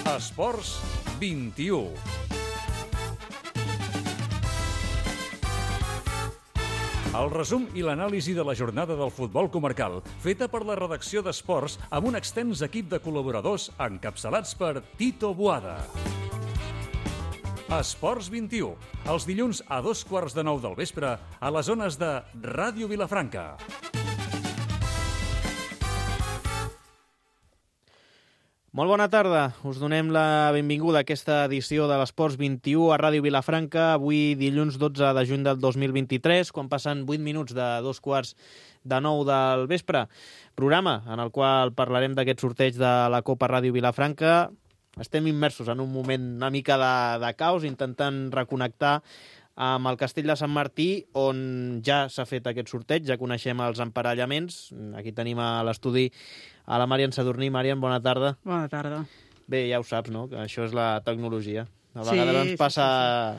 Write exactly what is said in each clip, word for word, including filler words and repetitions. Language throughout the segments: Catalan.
Esports vint-i-u. El resum i l'anàlisi de la jornada del futbol comarcal, feta per la redacció d'Esports amb un extens equip de col·laboradors encapçalats per Tito Boada. Esports vint-i-u, els dilluns a dos quarts de nou del vespre a les zones de Ràdio Vilafranca. Molt bona tarda, us donem la benvinguda a aquesta edició de l'Esports vint-i-u a Ràdio Vilafranca, avui dilluns dotze de juny del dos mil vint-i-tres, quan passen vuit minuts de dos quarts de nou del vespre. Programa en el qual parlarem d'aquest sorteig de la Copa Ràdio Vilafranca. Estem immersos en un moment una mica de, de caos, intentant reconnectar amb el Castell de Sant Martí, on ja s'ha fet aquest sorteig, ja coneixem els emparellaments. Aquí tenim a l'estudi a la Màrian Sadurní. Màrian, bona tarda. Bona tarda. Bé, ja ho saps, no?, que això és la tecnologia. A vegades sí, ens passa...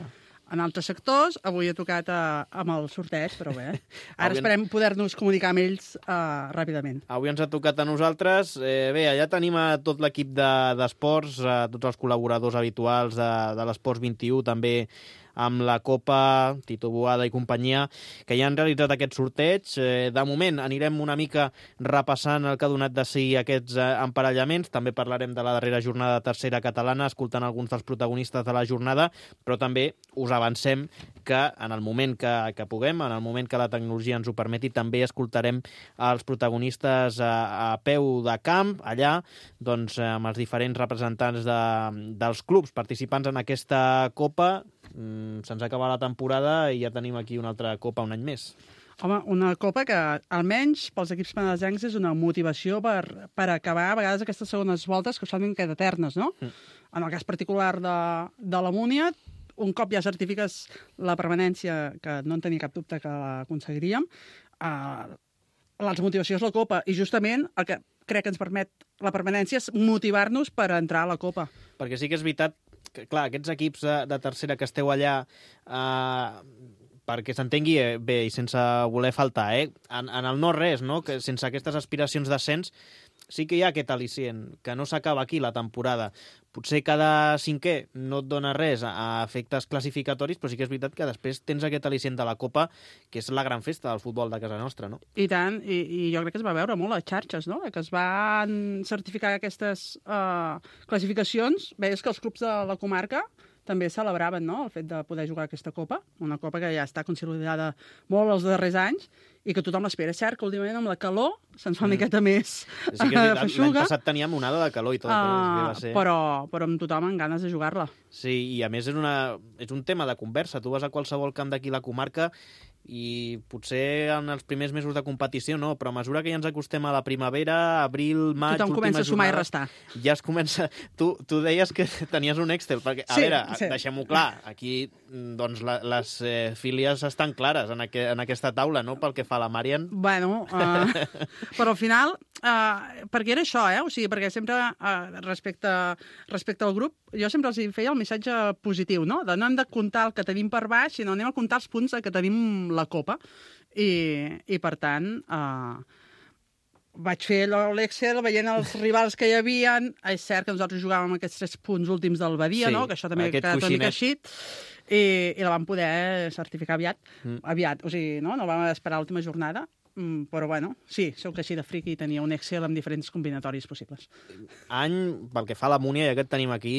Sí, sí, sí. En altres sectors, avui he tocat a, amb el sorteig, però bé. Ara avui esperem poder-nos comunicar amb ells uh, ràpidament. Avui ens ha tocat a nosaltres. Eh, bé, allà tenim a tot l'equip d'esports, de, a tots els col·laboradors habituals de, de l'Esports vint-i-u, també amb la Copa, Tito Boada i companyia, que ja han realitzat aquest sorteig. Eh, de moment anirem una mica repassant el que ha donat de si aquests eh, emparellaments. També parlarem de la darrera jornada tercera catalana, escoltant alguns dels protagonistes de la jornada, però també us avancem que en el moment que, que puguem, en el moment que la tecnologia ens ho permeti, també escoltarem els protagonistes a, a peu de camp, allà, doncs, amb els diferents representants de, dels clubs participants en aquesta Copa. Mm, se'ns acaba la temporada i ja tenim aquí una altra Copa un any més. Home, una Copa que, almenys, pels equips penedesencs és una motivació per, per acabar, a vegades, aquestes segones voltes que són queda eternes, no? Mm. En el cas particular de, de la Múnia, un cop ja certifiques la permanència, que no en tenia cap dubte que l'aconseguiríem, eh, la motivació és la Copa, i justament el que crec que ens permet la permanència és motivar-nos per entrar a la Copa. Perquè sí que és veritat que, clar, aquests equips de, de tercera que esteu allà, eh, perquè s'entengui bé i sense voler faltar, eh, en, en el no res, no?, que sense aquestes aspiracions d'ascens, sí que hi ha aquest al·licient, que no s'acaba aquí la temporada. Potser cada cinquè no et dona res a efectes classificatoris, però sí que és veritat que després tens aquest al·licient de la Copa, que és la gran festa del futbol de casa nostra, no? I tant, i, i jo crec que es va veure molt a xarxes, no?, que es van certificar aquestes uh, classificacions. Veies que els clubs de la comarca també celebraven, no?, el fet de poder jugar aquesta Copa, una Copa que ja està consolidada molt els darrers anys i que tothom l'espera. És cert que últimament amb la calor se'ns fa una miqueta més sí que és veritat, l'any passat teníem onada de calor i tot, uh, va ser. Però, però amb tothom amb ganes de jugar-la. Sí, i a més és, una, és un tema de conversa. Tu vas a qualsevol camp d'aquí la comarca i potser en els primers mesos de competició no, però a mesura que ja ens acostem a la primavera, abril, maig, tothom comença a sumar jornada, i restar. Ja es comença... Tu, tu deies que tenies un Excel, perquè, a sí, veure, sí. deixem-ho clar, aquí doncs, la, les eh, fílies estan clares en, aqu en aquesta taula, no?, pel que fa a la Màrian. Bueno, uh, però al final, uh, perquè era això, eh? O sigui, perquè sempre, uh, respecte, respecte al grup, jo sempre els feia el missatge positiu, no?, de no hem de comptar el que tenim per baix, sinó anem a comptar els punts que tenim la Copa. I, i per tant, uh, vaig fer l'Excel veient els rivals que hi havia. És cert que nosaltres jugàvem aquests tres punts últims del Badia, sí, no?, que això també ha quedat una mica així, i, i la vam poder certificar aviat. Mm. aviat. O sigui, no, no vam esperar l'última jornada, mm, però bueno, sí, soc així de friqui i tenia un Excel amb diferents combinatoris possibles. Any, pel que fa a la Múnia, ja que et tenim aquí,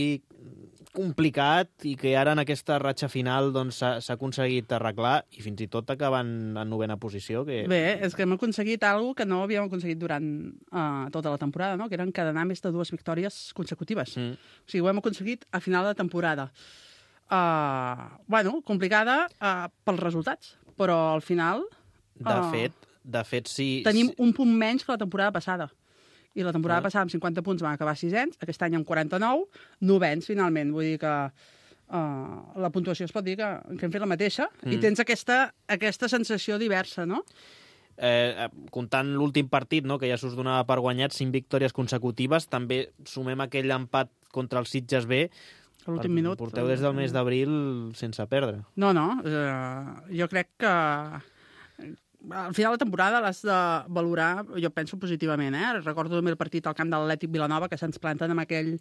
complicat, i que ara en aquesta ratxa final doncs, s'ha aconseguit arreglar i fins i tot acabant en novena posició. Que... Bé, és que hem aconseguit alguna que no havíem aconseguit durant uh, tota la temporada, no?, que eren encadenar més de dues victòries consecutives. Mm. O sigui, ho hem aconseguit a final de temporada. Uh, bueno, complicada uh, pels resultats, però al final... De uh, fet, de fet, sí... Tenim un punt menys que la temporada passada. I la temporada ah. passada amb cinquanta punts vam acabar sisens, aquest any amb quaranta-nou, novens finalment. Vull dir que uh, la puntuació es pot dir que, que hem fet la mateixa mm. i tens aquesta, aquesta sensació diversa, no? Eh, comptant l'últim partit, no?, que ja s'us donava per guanyat, cinc victòries consecutives, també sumem aquell empat contra el Sitges B. A l'últim minut. Porteu des del mes d'abril sense perdre. No, no, uh, jo crec que al final de la temporada l'has de valorar, jo penso positivament, eh? Recordo també el partit al camp de l'Atlètic Vilanova, que se'ns planten amb aquell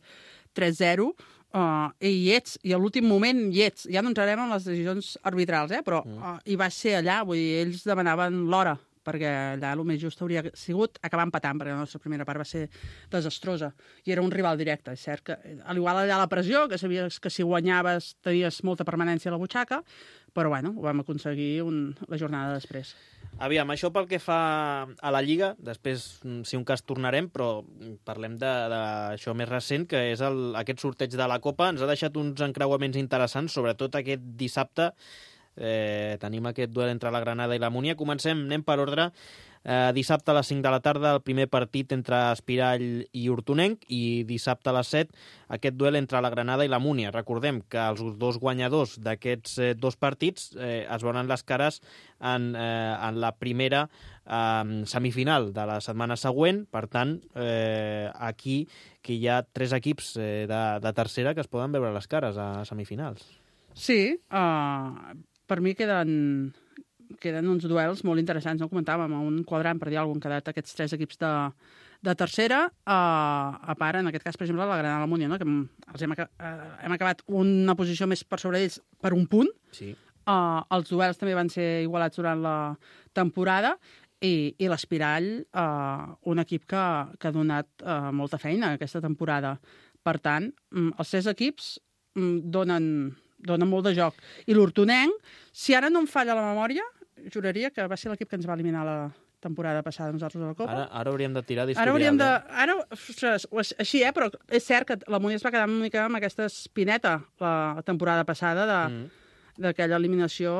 tres zero, uh, i hi ets, i a l'últim moment hi ets. Ja no entrarem en les decisions arbitrals, eh? Però uh, hi va ser allà, vull dir, ells demanaven l'hora, perquè allà el més just hauria sigut acabar empatant, perquè la nostra primera part va ser desastrosa, i era un rival directe. És cert que, a l'igual allà la pressió, que sabies que si guanyaves tenies molta permanència a la butxaca, però bueno, ho vam aconseguir un, la jornada després. Aviam, això pel que fa a la Lliga, després, si un cas, tornarem, però parlem d'això més recent, que és el, aquest sorteig de la Copa. Ens ha deixat uns encreuaments interessants, sobretot aquest dissabte. Eh, tenim aquest duel entre la Granada i la Múnia. Comencem, anem per ordre. Eh, dissabte a les cinc de la tarda el primer partit entre Espirall i Hortonenc, i dissabte a les set aquest duel entre la Granada i la Múnia. Recordem que els dos guanyadors d'aquests eh, dos partits eh, es veuran les cares en, eh, en la primera eh, semifinal de la setmana següent. Per tant, eh, aquí que hi ha tres equips eh, de, de tercera que es poden veure les cares a semifinals. Sí, uh, per mi queden, queden uns duels molt interessants, no comentàvem, un quadrant, per dir alguna cosa, han quedat aquests tres equips de, de tercera, uh, a part, en aquest cas, per exemple, la Granada i la Múnia, no? Que els hem, uh, hem acabat una posició més per sobre d'ells per un punt. Sí. Uh, els duels també van ser igualats durant la temporada, i, i l'Espirall, uh, un equip que, que ha donat uh, molta feina aquesta temporada. Per tant, um, els tres equips um, donen... dona molt de joc. I l'Hortonenc, si ara no em falla la memòria, juraria que va ser l'equip que ens va eliminar la temporada passada nosaltres a la Copa. Ara, ara hauríem de tirar d'historial. Ara hauríem de... Ara, ostres, així, eh? Però és cert que la Múnia es va quedar una mica amb aquesta espineta la temporada passada de... Mm. d'aquella eliminació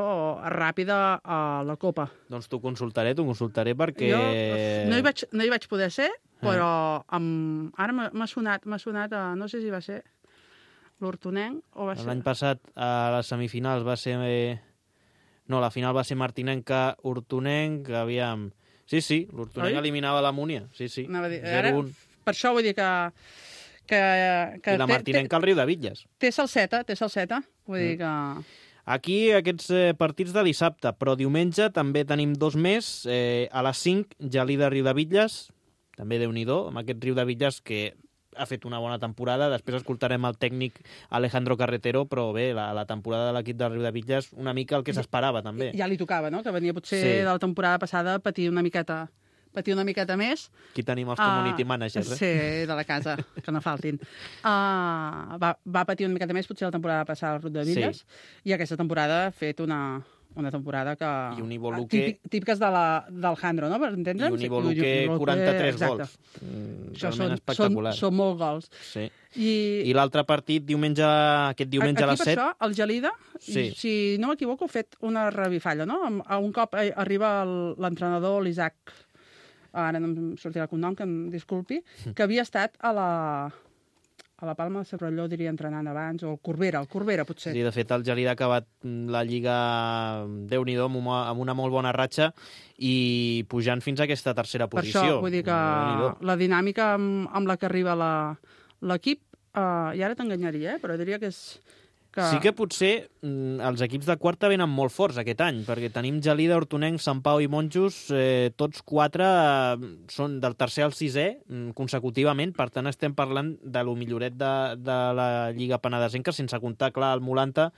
ràpida a la Copa. Doncs t'ho consultaré, t'ho consultaré perquè... Jo no hi vaig, no hi vaig poder ser, però amb... ara m'ha sonat, m'ha sonat a... no sé si va ser l'Hortonenc o va ser... L'any passat a les semifinals va ser... No, la final va ser Martinenca, Hortonenc, aviam... Sí, sí, l'Hortonenc eliminava la Múnia, sí, sí. Dir, ara, per això vull dir que... que, que I la Martinenca al Riu de Bitlles. Té salseta, té salseta, vull dir que... Aquí aquests eh, partits de dissabte, però diumenge també tenim dos més. Eh, a les cinc, Gelida Riu de Bitlles, també Déu-n'hi-do, amb aquest Riu de Bitlles que ha fet una bona temporada. Després escoltarem el tècnic Alejandro Carretero, però bé, la, la temporada de l'equip del Riu de Bitlles, una mica el que s'esperava també. Ja li tocava, no?, que venia potser sí. de la temporada passada a patir una miqueta... patir una miqueta més. Aquí tenim els community uh, managers, eh? Sí, de la casa, que no faltin. Uh, va, va patir una miqueta més potser la temporada passada al Riu de Bitlles, sí. I aquesta temporada ha fet una, una temporada que... I un Ivoluque... Típic, típiques de la, del Handro, no?, per entendre'ns? I un Ivoluque quaranta-tres gols. Mm, realment espectacular. Són, són molts gols. Sí. I, I l'altre partit, diumenge, aquest diumenge a les set... Aquí per això, el Gelida, sí. si no m'equivoco, ha fet una revifalla, no? A un cop arriba l'entrenador, l'Isaac... ara no em sortirà el cognom, que em disculpi, que havia estat a la, a la Palma de Cervelló, diria, entrenant abans, o el Corbera, el Corbera, potser. Sí, de fet, el Gelida ha acabat la Lliga Déu-n'hi-do amb una, amb una molt bona ratxa i pujant fins a aquesta tercera posició. Per això, vull dir que la dinàmica amb, amb la que arriba l'equip, uh, i ara t'enganyaria, eh? Però diria que és... Que... Sí que potser mm, els equips de quarta venen molt forts aquest any, perquè tenim Gelida, Hortonenc, Sant Pau i Monjos, eh, tots quatre eh, són del tercer al sisè mm, consecutivament, per tant estem parlant de lo milloret de, de la Lliga Penedesenca, sense comptar, clar, el Molanta,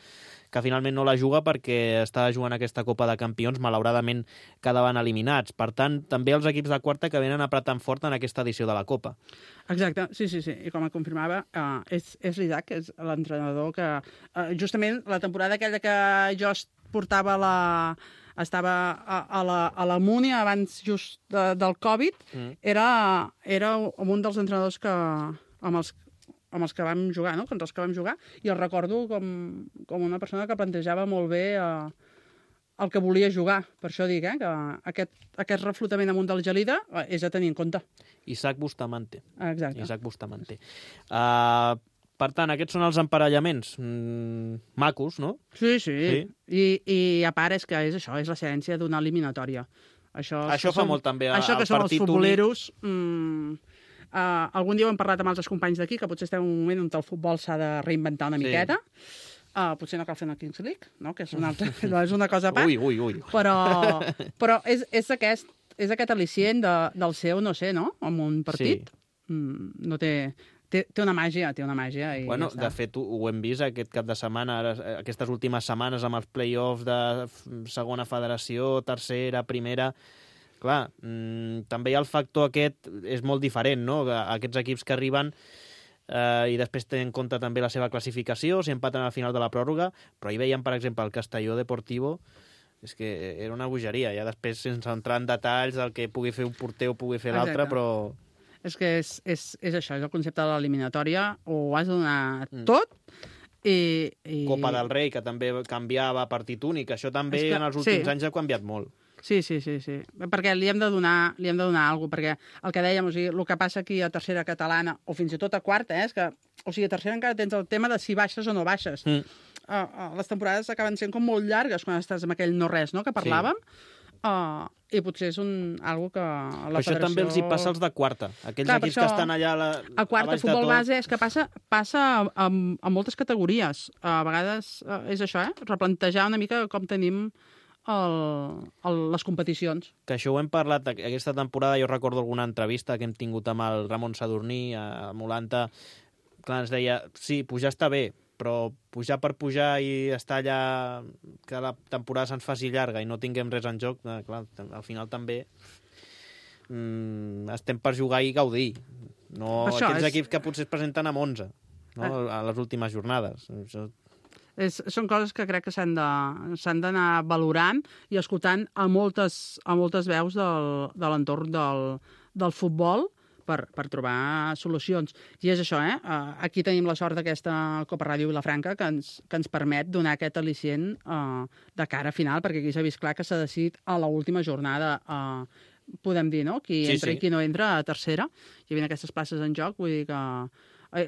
que finalment no la juga perquè estava jugant aquesta Copa de Campions, malauradament quedaven eliminats. Per tant, també els equips de quarta que venen apretant fort en aquesta edició de la Copa. Exacte, sí, sí, sí. I com et confirmava, uh, és, és l'Isaac, que és l'entrenador que... Uh, justament la temporada aquella que jo portava la... estava a, a, la, a la Múnia abans just de, del Covid, mm. era, era un dels entrenadors que, amb els amb els que vam jugar, no?, contra els que vam jugar, i el recordo com, com una persona que plantejava molt bé eh, el que volia jugar. Per això dic, eh, que aquest, aquest reflotament amunt del Gelida eh, és a tenir en compte. Isaac Bustamante. Exacte. Isaac Bustamante. Uh, per tant, aquests són els emparellaments mm, macos, no? Sí, sí. sí. I, I a part és que és això, és l'essència d'una eliminatòria. Això, això fa som, molt també. Això que són els futboleros... Mm, Uh, algun dia ho hem parlat amb altres companys d'aquí, que potser estem en un moment on el futbol s'ha de reinventar una sí. miqueta. Uh, potser no cal fer una Kings League, no? Que és una, altra, no és una cosa a part. Ui, ui, ui. Però, però és, és, aquest, és aquest al·licient de, del seu, no sé, no? En un partit. Sí. Mm, no té... Té, té una màgia, té una màgia. I bueno, ja de fet, ho, ho hem vist aquest cap de setmana, ara, aquestes últimes setmanes amb els play-offs de segona federació, tercera, primera. Clar, mmm, també hi ha el factor aquest, és molt diferent, no? Aquests equips que arriben eh, i després tenen en compte també la seva classificació, si empaten al final de la pròrroga, però hi veiem, per exemple, el Castelló Deportivo, és que era una bogeria. Ja després, sense entrar en detalls del que pugui fer un porter o pugui fer l'altre, però... És que és, és, és això, és el concepte de l'eliminatòria, ho has de donar mm. tot, i, i... Copa del Rei, que també canviava partit únic, això també que, en els últims sí. anys ha canviat molt. Sí, sí, sí, sí, perquè li hem de donar, li hem de donar alguna cosa, perquè el que dèiem, o sigui, el que passa aquí a tercera catalana, o fins i tot a quarta, eh, és que, o sigui, a tercera encara tens el tema de si baixes o no baixes. Mm. Uh, uh, les temporades acaben sent com molt llargues quan estàs amb aquell no-res, no?, que parlàvem, sí. Uh, i potser és un, algo que la però federació... Això també els hi passa als de quarta. Aquells Clar, equips això, que estan allà a la, a quarta, a futbol base, és que passa, passa a, a moltes categories. A vegades uh, és això, eh? Replantejar una mica com tenim el, el, les competicions. Que això ho hem parlat aquesta temporada, jo recordo alguna entrevista que hem tingut amb el Ramon Sadurní a Molanta, clar, ens deia, sí, pujar està bé, però pujar per pujar i estar allà que la temporada se'ns faci llarga i no tinguem res en joc, eh, clar, al final també mm, estem per jugar i gaudir. No això aquests és... equips que potser es presenten amb onze, no? eh. a les últimes jornades. Això... És, són coses que crec que s'han de, s'han d'anar valorant i escoltant a moltes, a moltes veus del, de l'entorn del, del futbol, Per, per trobar solucions. I és això, eh? Aquí tenim la sort d'aquesta Copa Ràdio Vilafranca que ens, que ens permet donar aquest al·licient uh, de cara a final, perquè aquí s'ha vist clar que s'ha decidit a l'última jornada, uh, podem dir, no? Qui sí, entra sí. i qui no entra a tercera. Hi havia aquestes places en joc, vull dir que...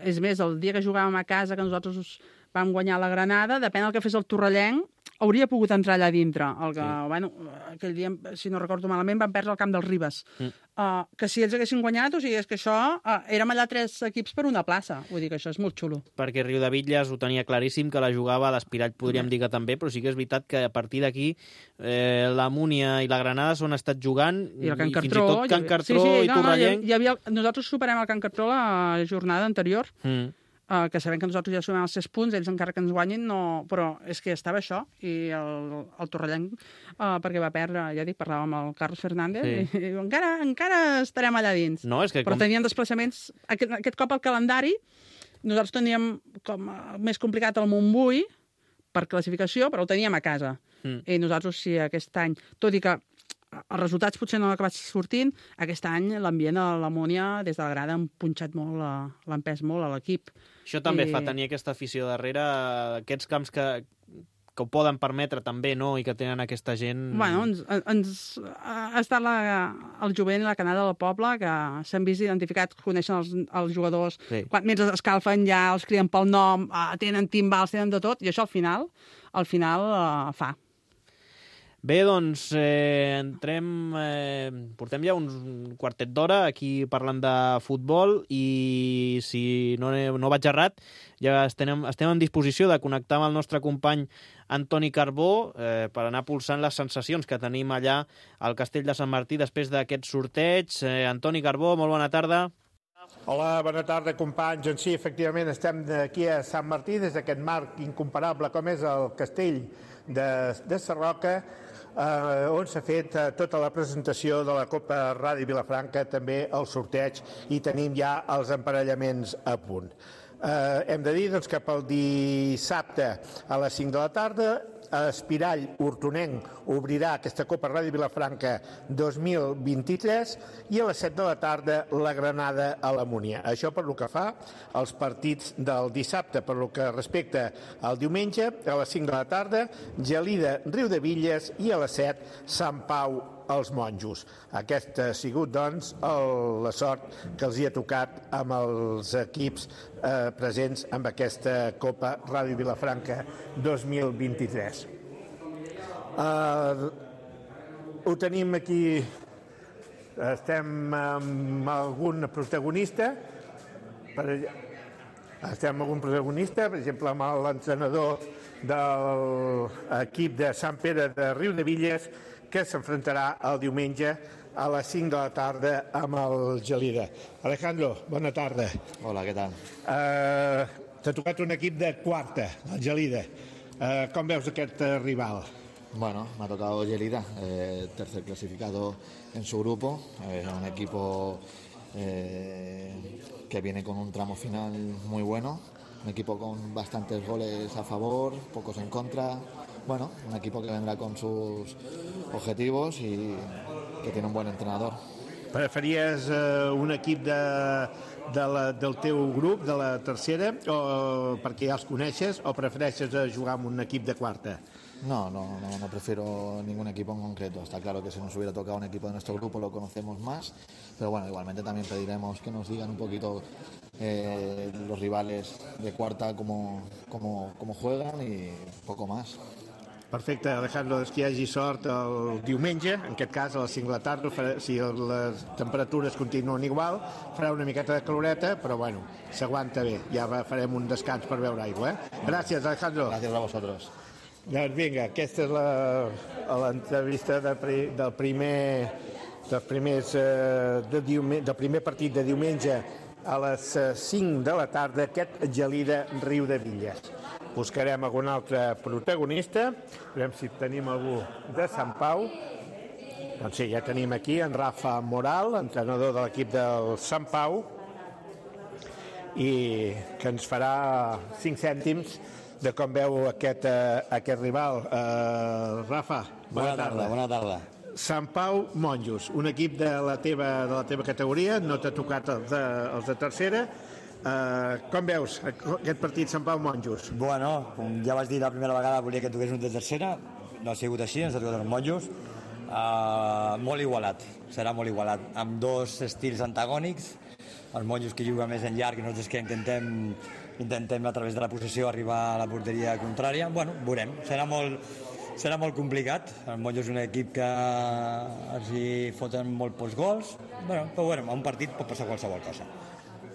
És més, el dia que jugàvem a casa, que nosaltres vam guanyar la Granada, depèn del que fes el Torrellenc, hauria pogut entrar allà dintre. El que, sí. bueno, aquell dia, si no recordo malament, van perdre el camp dels Ribes. Mm. Uh, que si ells haguessin guanyat, o sigui, és que això... Uh, érem allà tres equips per una plaça. Vull dir que això és molt xulo. Perquè Riudebitlles ho tenia claríssim, que la jugava, l'Espirall podríem mm. dir que també, però sí que és veritat que a partir d'aquí eh, la Múnia i la Granada s'han estat jugant, i, I, el Can i fins Cartró, i tot Can Cartró sí, sí, i no, Torrellenc... No, hi havia, nosaltres superem el Can Cartró la jornada anterior, mm. Uh, que sabem que nosaltres ja sumem els sis punts, ells encara que ens guanyin, no... però és que estava això, i el, el Torrellenc, uh, perquè va perdre, ja dic, parlàvem amb el Carlos Fernández, sí. i, i encara, encara estarem allà dins. No, és que però com... teníem desplaçaments, aquest, aquest cop al calendari, nosaltres teníem com uh, més complicat el Montbui, per classificació, però el teníem a casa. Mm. I nosaltres, sí, aquest any, tot i que els resultats potser no han acabat sortint, aquest any l'ambient a l'Amònia des de la grada han punxat molt, l'ha empès molt a l'equip. Això també I... fa tenir aquesta afició darrere, aquests camps que, que ho poden permetre també, no?, i que tenen aquesta gent... Bueno, ens, ens ha estat la, el jovent i la canalla del poble que s'han vist identificat, coneixen els, els jugadors, sí. Quan mentre escalfen ja els criden pel nom, tenen timbals, tenen de tot, i això al final, al final uh, fa. Bé, doncs, eh, entrem... Eh, portem ja uns quartet d'hora aquí parlant de futbol i si no, no vaig errat, ja estem, estem en disposició de connectar amb el nostre company Antoni Carbó eh, per anar pulsant les sensacions que tenim allà al Castell de Sant Martí després d'aquest sorteig. Eh, Antoni Carbó, molt bona tarda. Hola, bona tarda, companys. Doncs sí, efectivament, estem aquí a Sant Martí, des d'aquest marc incomparable com és el Castell de, de Sarroca, eh, on s'ha fet eh, tota la presentació de la Copa Ràdio Vilafranca, també el sorteig, i tenim ja els emparellaments a punt. Eh, hem de dir doncs, que pel dissabte a les cinc de la tarda Espirall Hortonenc obrirà aquesta Copa Ràdio Vilafranca dos mil vint-i-tres i a les set de la tarda la Granada a la Múnia. Això per lo que fa als partits del dissabte. Per lo que respecta al diumenge, a les cinc de la tarda, Gelida Riudebitlles i a les set Sant Pau els Monjos. Aquesta ha sigut, doncs, el, la sort que els hi ha tocat amb els equips eh, presents amb aquesta Copa Ràdio Vilafranca dos mil vint-i-tres. Eh, ho tenim aquí, estem amb algun protagonista. Per, Estem amb algun protagonista, per exemple, amb l'entrenador de l'equip de Sant Pere de Riudebitlles, que s'enfrontarà el diumenge a les cinc de la tarda amb el Gelida. Alejandro, bona tarda. Hola, què tal? Uh, T'ha tocat un equip de quarta, el Gelida. Uh, com veus aquest uh, rival? Bueno, me ha tocado Gelida, eh, tercer clasificado en su grupo, eh, un equipo eh, que viene con un tramo final muy bueno, un equipo con bastantes goles a favor, pocos en contra, bueno, un equipo que vendrá con sus objetivos y que tiene un buen entrenador. Preferías eh, un equip de, de la, del teu grup, de la tercera, o perquè ja els coneixes, o prefereixes jugar amb un equip de quarta? No, no, no, no prefiero ningún equipo en concreto. Está claro que si nos hubiera tocado un equipo de nuestro grupo lo conocemos más, pero bueno, igualmente también pediremos que nos digan un poquito eh, los rivales de cuarta cómo, cómo, cómo juegan y poco más. Perfecte, Alejandro, doncs que hi hagi sort el diumenge, en aquest cas a les cinc de la tarda, si les temperatures continuen igual, farà una miqueta de caloreta, però bueno, s'aguanta bé, ja farem un descans per beure aigua. Eh? Gràcies, Alejandro. Gràcies a vosaltres. Doncs vinga, aquesta és l'entrevista de, del primer dels primers eh, de diumenge, del primer partit de diumenge a les cinc de la tarda, aquest Gelida Riudebitlles. Buscarem algun altre protagonista, veurem si tenim algú de Sant Pau. Doncs sí, ja tenim aquí en Rafa Moral, entrenador de l'equip del Sant Pau, i que ens farà cinc cèntims de com veu aquest, uh, aquest rival. Uh, Rafa, bona, bona tarda. tarda. Bona tarda. Sant Pau Monjos, un equip de la teva, de la teva categoria, no t'ha tocat els de, els de tercera. Uh, com veus aquest partit Sant Pau Monjos? Bueno, com ja vaig dir la primera vegada, volia que toqués un de tercera, no ha sigut així, ens ha tocat els Monjos. Uh, molt igualat, serà molt igualat, amb dos estils antagònics, els Monjos que juguen més en llarg i nosaltres que intentem, intentem a través de la possessió arribar a la porteria contrària. Bueno, veurem, serà molt, serà molt complicat, el Monjos és un equip que els hi foten molt pocs gols, bueno, però bueno, a un partit pot passar qualsevol cosa.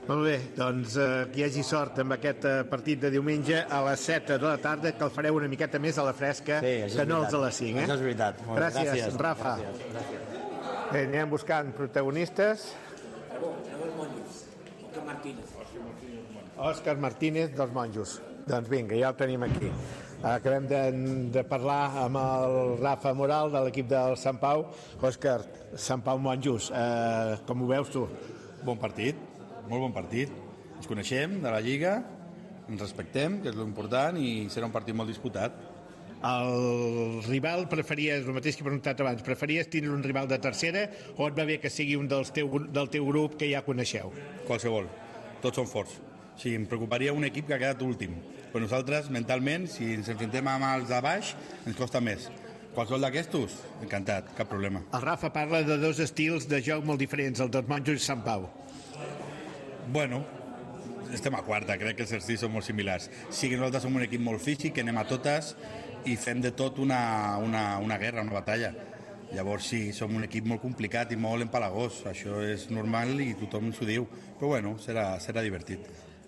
Molt bé, doncs eh, que hi hagi sort amb aquest eh, partit de diumenge a les set de la tarda, que el fareu una miqueta més a la fresca, sí, que no els a les cinc. Eh? Això és veritat. Molt gràcies, gràcies, Rafa. Gràcies, gràcies. Bé, anem buscant protagonistes. Òscar Martínez dels Monjos. Doncs vinga, ja el tenim aquí. Acabem de, de parlar amb el Rafa Moral de l'equip del Sant Pau. Òscar, Sant Pau Monjos, eh, com ho veus tu? Bon partit, molt bon partit. Ens coneixem de la Lliga, ens respectem, que és l'important, i serà un partit molt disputat. El rival preferies, el mateix que he preguntat abans, preferies tindre un rival de tercera o et va bé que sigui un dels teu, del teu grup que ja coneixeu? Qualsevol, tots són forts. O sigui, em preocuparia un equip que ha quedat últim. Però nosaltres, mentalment, si ens enfrontem amb els de baix, ens costa més. Qualsevol d'aquestos, encantat, cap problema. El Rafa parla de dos estils de joc molt diferents, el dels Monjos i Sant Pau. Bueno, estem a quarta, crec que els estils són molt similars. Sí que nosaltres som un equip molt físic, que anem a totes i fem de tot una, una, una guerra, una batalla. Llavors sí, som un equip molt complicat i molt empalagós, això és normal i tothom s'ho diu, però bueno, serà, serà divertit.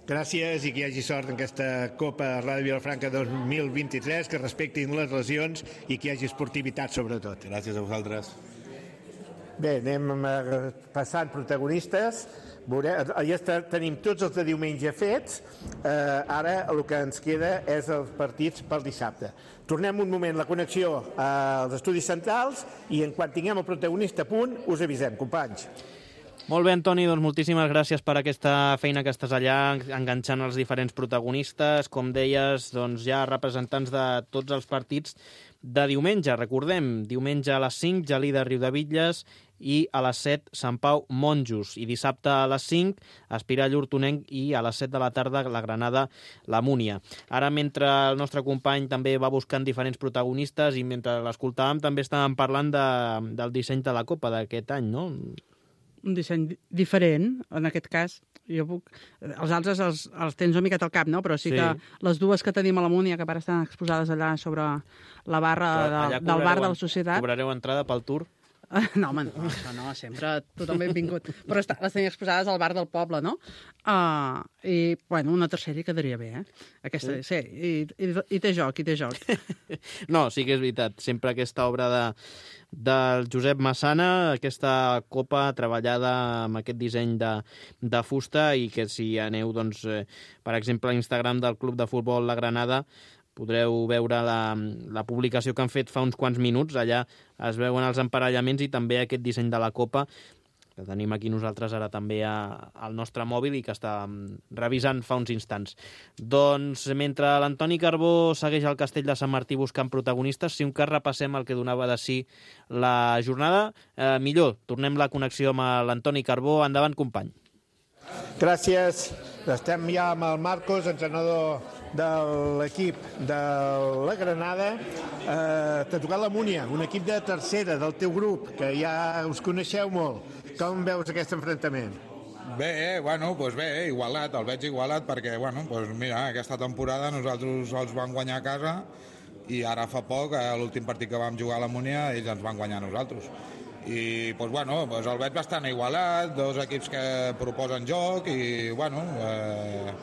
Gràcies i que hi hagi sort en aquesta Copa Ràdio Vilafranca dos mil vint-i-tres, que respectin les lesions i que hi hagi esportivitat sobretot. Gràcies a vosaltres. Bé, anem passant protagonistes. Ja tenim tots els de diumenge fets, eh, ara el que ens queda és els partits pel dissabte. Tornem un moment la connexió als estudis centrals i en quan tinguem el protagonista a punt us avisem, companys. Molt bé, Antoni, doncs moltíssimes gràcies per aquesta feina que estàs allà, enganxant els diferents protagonistes. Com deies, doncs ja representants de tots els partits de diumenge. Recordem, diumenge a les cinc, Gelida Riudebitlles, i a les set, Sant Pau Monjos. I dissabte a les cinc, Espirà Llurtonenc, i a les set de la tarda, la Granada, la Múnia. Ara, mentre el nostre company també va buscant diferents protagonistes i mentre l'escoltàvem, també estàvem parlant de, del disseny de la Copa d'aquest any, no? Un disseny diferent, en aquest cas. Jo puc... Els altres els, els tens una miqueta al cap, no? Però sí, sí que les dues que tenim a la Múnia, que ara estan exposades allà sobre la barra de, del bar de la societat... Cobrareu entrada pel tour? No, home, no, això no, sempre tothom benvingut. Però està, les tenia exposades al bar del poble, no? Uh, I, bueno, una tercera hi quedaria bé, eh? Aquesta, sí, i, i, i té joc, i té joc. No, sí que és veritat. Sempre aquesta obra de, del Josep Massana, aquesta copa treballada amb aquest disseny de, de fusta i que si aneu, doncs, eh, per exemple, a Instagram del Club de Futbol La Granada, podreu veure la, la publicació que han fet fa uns quants minuts. Allà es veuen els emparellaments i també aquest disseny de la copa, que tenim aquí nosaltres ara també a, al nostre mòbil i que està revisant fa uns instants. Doncs mentre l'Antoni Carbó segueix al Castell de Sant Martí buscant protagonistes, si un cas repassem el que donava de si la jornada, eh, millor, tornem la connexió amb l'Antoni Carbó. Endavant, company. Gràcies. Estem ja amb el Marcos, entrenador de l'equip de la Granada. Eh, T'ha tocat la Múnia, un equip de tercera del teu grup, que ja us coneixeu molt. Com veus aquest enfrontament? Bé, bueno, doncs bé, igualat, el veig igualat perquè, bueno, doncs mira, aquesta temporada nosaltres els vam guanyar a casa i ara fa poc, a l'últim partit que vam jugar a la Múnia, ells ens van guanyar a nosaltres. I, doncs, bueno, doncs el veig bastant igualat, dos equips que proposen joc i, bueno, eh,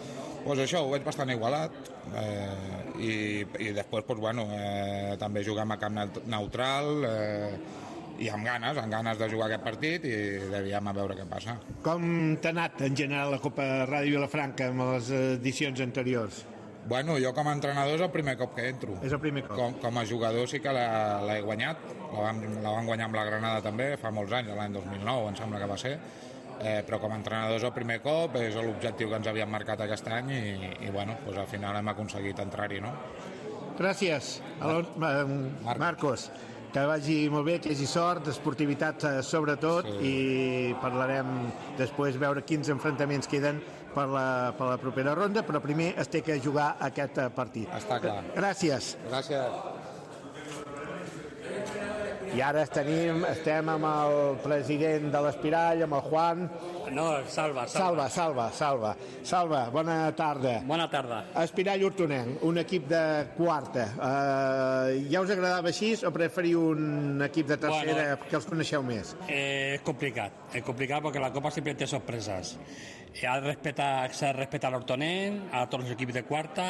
doncs això, ho veig bastant igualat. Eh, i, i després, doncs, bueno, eh, també juguem a camp neutral, eh, i amb ganes, amb ganes de jugar aquest partit i devíem a veure què passa. Com t'ha anat en general la Copa Ràdio Vilafranca amb les edicions anteriors? Bueno, jo com a entrenador és el primer cop que entro. És el primer cop. Com, com a jugador sí que l'he guanyat, la vam, la vam guanyar amb la Granada també, fa molts anys, l'any dos mil nou em sembla que va ser, eh, però com a entrenador és el primer cop, és l'objectiu que ens havíem marcat aquest any i, i bueno, doncs al final hem aconseguit entrar-hi, no? Gràcies, Alon, Mar Marcos. Que vagi molt bé, que hi hagi sort, esportivitat sobretot, sí. I parlarem després, veure quins enfrontaments queden per la, per la propera ronda, però primer es té que jugar aquest partit. Està clar. Gràcies. Gràcies. I ara tenim, estem amb el president de l'Espirall, amb el Juan. No, Salva, Salva. Salva, Salva, Salva. Salva, bona tarda. Bona tarda. Espirall Hortonenc, un equip de quarta. Uh, ja us agradava així o preferiu un equip de tercera, bueno, que els coneixeu més? Eh, es complicat, es complicat porque la Copa siempre té sorpresas. S'ha de respetar, s'ha de respetar l'Hortonenc, a tots els equips de quarta.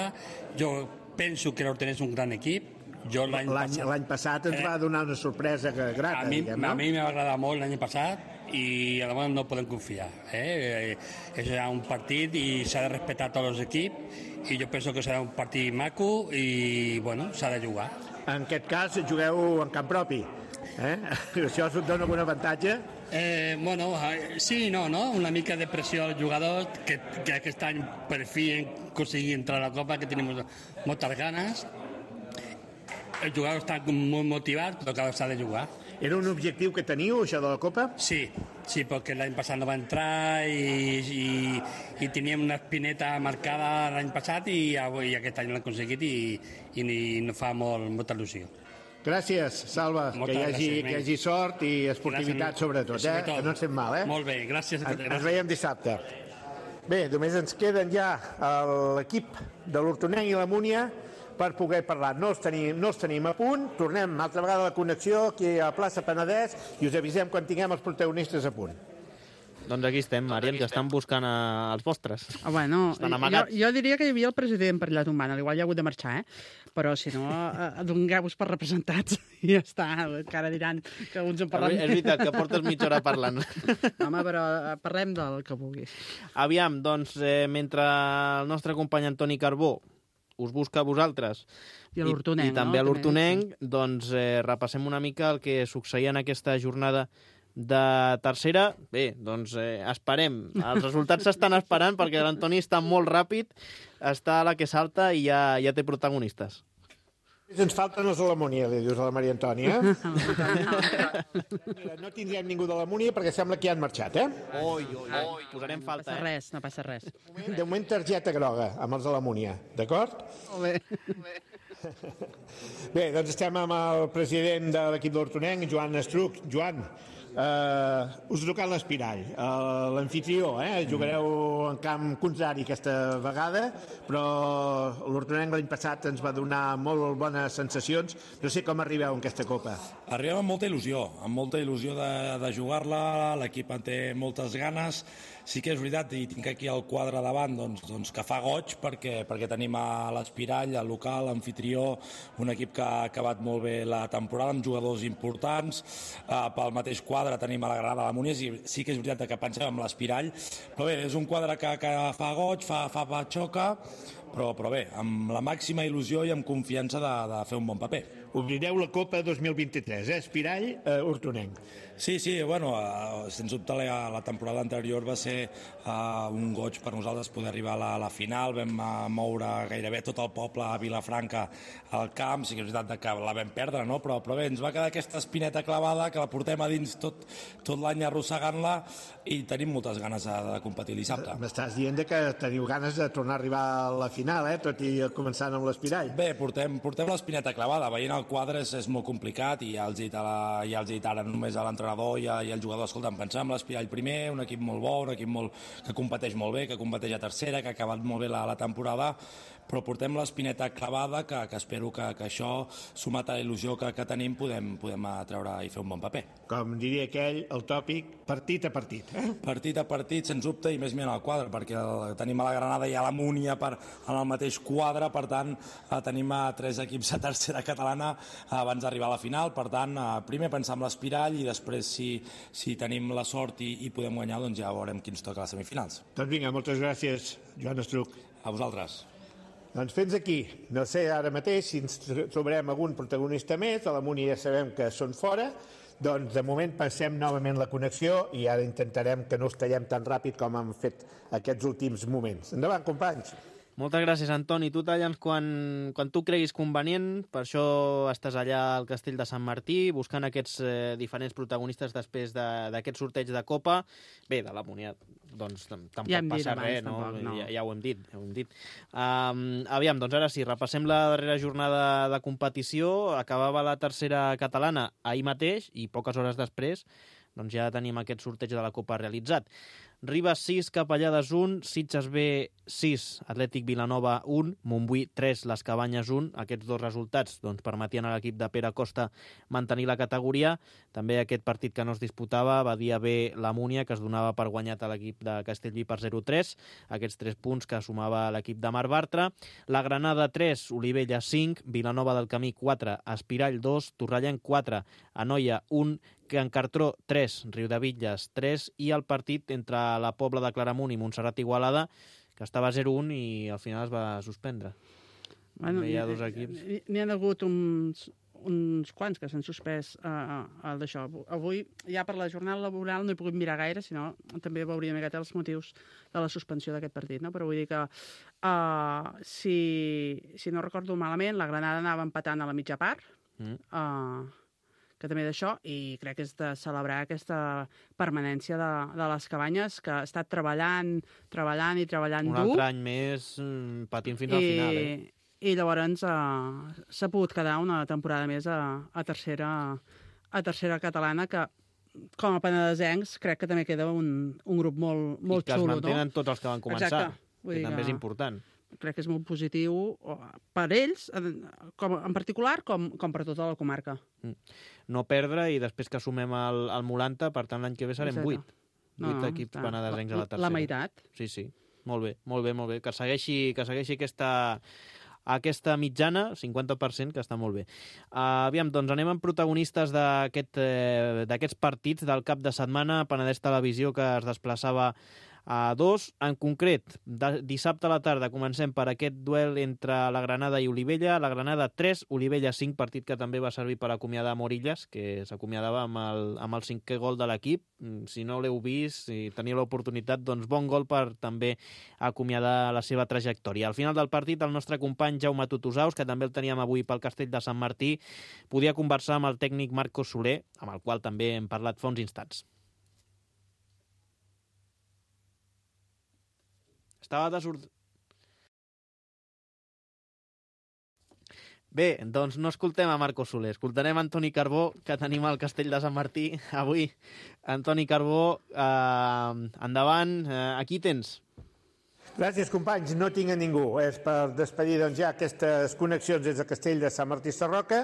Jo penso que l'Hortonenc és un gran equip. L'any passat, passat ens eh, va donar una sorpresa grata. A mi, diguem, no? A mi m'ha agradat molt l'any passat i a demà no podem confiar. Eh? És un partit i s'ha de respectar tots els equips i jo penso que serà un partit maco i bueno, s'ha de jugar. En aquest cas jugueu en camp propi. Eh? Això us dona algun avantatge? Eh, bueno, sí i no, no? Una mica de pressió als jugadors que, que aquest any per fi hem aconseguit entrar a la Copa, que tenim moltes ganes. Els jugadors estan molt motivats, però que s'ha de jugar. Era un objectiu que teniu, això de la Copa? Sí, sí, perquè l'any passat no va entrar i, i, i teníem una espineta marcada l'any passat i, i aquest any l'hem aconseguit i, i, i no fa molt, molta il·lusió. Gràcies, Salva, Moltes que hi, hagi, gràcies, que hi hagi sort i esportivitat gràcies, sobretot, eh? sobretot. Que no ens fem mal, eh? Molt bé, gràcies. En, ens veiem dissabte. Bé, només ens queden ja l'equip de l'Hortonenc i la Múnia per poder parlar. No els, tenim, no els tenim a punt. Tornem altra vegada a la connexió aquí a plaça Penedès i us avisem quan tinguem els protagonistes a punt. Doncs aquí estem, Mari, ens estan buscant a, els vostres. Ah, bueno, jo, jo diria que hi havia el president per allà tombant, igual ja ha hagut de marxar, eh? Però si no, dongueu-vos per representats i ja està, que ara diran que uns en parlen. És veritat, que portes mitja hora parlant. Home, però parlem del que vulguis. Aviam, doncs, eh, mentre el nostre company Antoni Carbó us busca a vosaltres i, a i, i també no? a l'Hortonenc, sí. Doncs eh, repassem una mica el que succeïa en aquesta jornada de tercera. Bé, doncs eh, esperem. Els resultats s'estan esperant perquè l'Antoni està molt ràpid, està a la que salta i ja, ja té protagonistes. Ens falten els de la Múnia, li dius a la Maria Antònia. Mira, no tindrem ningú de la Múnia perquè sembla que ja han marxat, eh? Oi, oi, oi, posarem falta, eh? No passa res, no passa res. De moment, targeta groga amb els de la Múnia, d'acord? Molt bé. Bé, doncs estem amb el president de l'equip d'Hortonenc, Joan Estruc. Joan, Uh, us ha tocat l'Espirall, uh, l'anfitrió, eh? Jugareu en camp contrari aquesta vegada, però l'Hortonenc l'any passat ens va donar molt bones sensacions. No sé com arribeu en aquesta Copa. Arribem amb molta il·lusió, amb molta il·lusió de, de jugar-la, l'equip en té moltes ganes. Sí que és veritat, i tinc aquí el quadre davant, doncs, doncs que fa goig perquè, perquè tenim a l'Espirall, el local, l'anfitrió, un equip que ha acabat molt bé la temporada amb jugadors importants. Uh, pel mateix quadre tenim a la Granada, la Munies, i sí que és veritat que pensem en l'Espirall, però bé, és un quadre que, que fa goig, fa, fa patxoca, però, però bé, amb la màxima il·lusió i amb confiança de, de fer un bon paper. Obrireu la Copa dos mil vint-i-tres, eh? Espirall, eh, Hortonenc. Sí, sí, bueno, uh, sens dubte la, la temporada anterior va ser uh, un goig per nosaltres poder arribar a la, a la final. Vam uh, moure gairebé tot el poble a Vilafranca al camp, sí que és veritat que la vam perdre, no? però, però bé, ens va quedar aquesta espineta clavada que la portem a dins tot, tot l'any arrossegant-la i tenim moltes ganes de, de competir dissabte. M'estàs dient que teniu ganes de tornar a arribar a la final, eh? Tot i començant amb l'Espirall. Bé, portem, portem l'espineta clavada, veient el quadre és, és molt complicat i ja els he dit, a la, ja els he dit ara només a l'entrenador i, a, i al jugador, escolta, pensar en l'Espirall primer, un equip molt bo, un equip molt, que competeix molt bé, que competeix a tercera, que ha acabat molt bé la, la temporada, però portem l'espineta clavada que, que espero que, que això, sumat a la il·lusió que, que tenim, podem, podem treure i fer un bon paper. Com diria aquell, el tòpic, partit a partit. Eh? Partit a partit, sens dubte, i més mirant el quadre, perquè el, tenim a la Granada i a la Múnia per, en el mateix quadre, per tant, eh, tenim a tres equips a tercera catalana eh, abans d'arribar a la final, per tant, eh, primer pensar en l'Espirall i després, si, si tenim la sort i, i podem guanyar, doncs ja veurem qui ens toca a les semifinals. Doncs vinga, moltes gràcies, Joan Estruc. A vosaltres. Doncs fins aquí. No sé ara mateix si ens trobarem algun protagonista més, a la Múnia ja sabem que són fora, doncs de moment passem novament la connexió i ara intentarem que no es tallem tan ràpid com hem fet aquests últims moments. Endavant, companys! Moltes gràcies, Antoni. Tu talla'ns quan, quan tu creguis convenient. Per això estàs allà al Castell de Sant Martí, buscant aquests eh, diferents protagonistes després d'aquest de, sorteig de Copa. Bé, de la Múnia, doncs tampoc ja passa abans, res, no? Tampoc, no. Ja, ja ho hem dit. Ja ho hem dit. Um, aviam, doncs ara sí, repassem la darrera jornada de competició. Acabava la tercera catalana ahir mateix i poques hores després doncs ja tenim aquest sorteig de la Copa realitzat. Ribes sis, Capellades un, Sitges B sis, Atlètic Vilanova un, Montbui tres, Les Cabanyes un. Aquests dos resultats doncs, permetien a l'equip de Pere Costa mantenir la categoria. També aquest partit que no es disputava, Badia B, la Múnia, que es donava per guanyat a l'equip de Castellví per zero tres. Aquests tres punts que sumava l'equip de Marc Bartra. La Granada tres, Olivella cinc, Vilanova del Camí quatre, Espirall dos, Torrellenc quatre, Anoia un, Can Cartró tres, Riudebitlles tres i el partit entre la Pobla de Claramunt i Montserrat Igualada, que estava zero un i al final es va suspendre. Bueno, hi ha dos equips. N'hi ha hagut uns, uns quants que s'han suspès uh, el d'això. Avui, ja per la jornada laboral, no he pogut mirar gaire, sinó també veuria una miqueta els motius de la suspensió d'aquest partit, no? Però vull dir que, uh, si, si no recordo malament, la Granada anava empatant a la mitja part, mm. uh, que també d'això, i crec que és de celebrar aquesta permanència de, de les Cabanyes, que ha estat treballant, treballant i treballant Un dur. Un altre any més patint fins al I, final, eh? I llavors uh, s'ha pogut quedar una temporada més a, a, tercera, a tercera catalana, que com a penedesencs crec que també queda un, un grup molt, molt xulo. I que xulo, es mantenen no? tots els que van començar, Exacte. Vull que dir també que... és important. Crec que és molt positiu per ells, com, en particular, com, com per tota la comarca. No perdre i després que sumem el, el Molanta, per tant l'any que ve serem vuit. No, Vuit no, equips està. penedesencs a la tercera. La meitat. Sí, sí. Molt bé, molt bé, molt bé. Que segueixi, que segueixi aquesta, aquesta mitjana, cinquanta per cent, que està molt bé. Uh, aviam, doncs anem amb protagonistes d'aquest, eh, d'aquests partits del cap de setmana. Penedès Televisió, que es desplaçava a dos. En concret, de, dissabte a la tarda comencem per aquest duel entre la Granada i Olivella. La Granada tres, Olivella cinc, partit que també va servir per acomiadar Morillas, que s'acomiadava amb el, amb el cinquè gol de l'equip. Si no l'heu vist, si teniu l'oportunitat, doncs bon gol per també acomiadar la seva trajectòria. Al final del partit, el nostre company Jaume Tutusaus, que també el teníem avui pel Castell de Sant Martí, podia conversar amb el tècnic Marcos Soler, amb el qual també hem parlat fa uns instants. Estava desord... Bé, doncs no escoltem a Marco Soler, escoltarem Antoni Carbó, que tenim al Castell de Sant Martí avui. Antoni Carbó, eh, endavant, eh, aquí tens. Gràcies, companys. No tinc a ningú. És per despedir doncs, ja aquestes connexions des del Castell de Sant Martí Sarroca,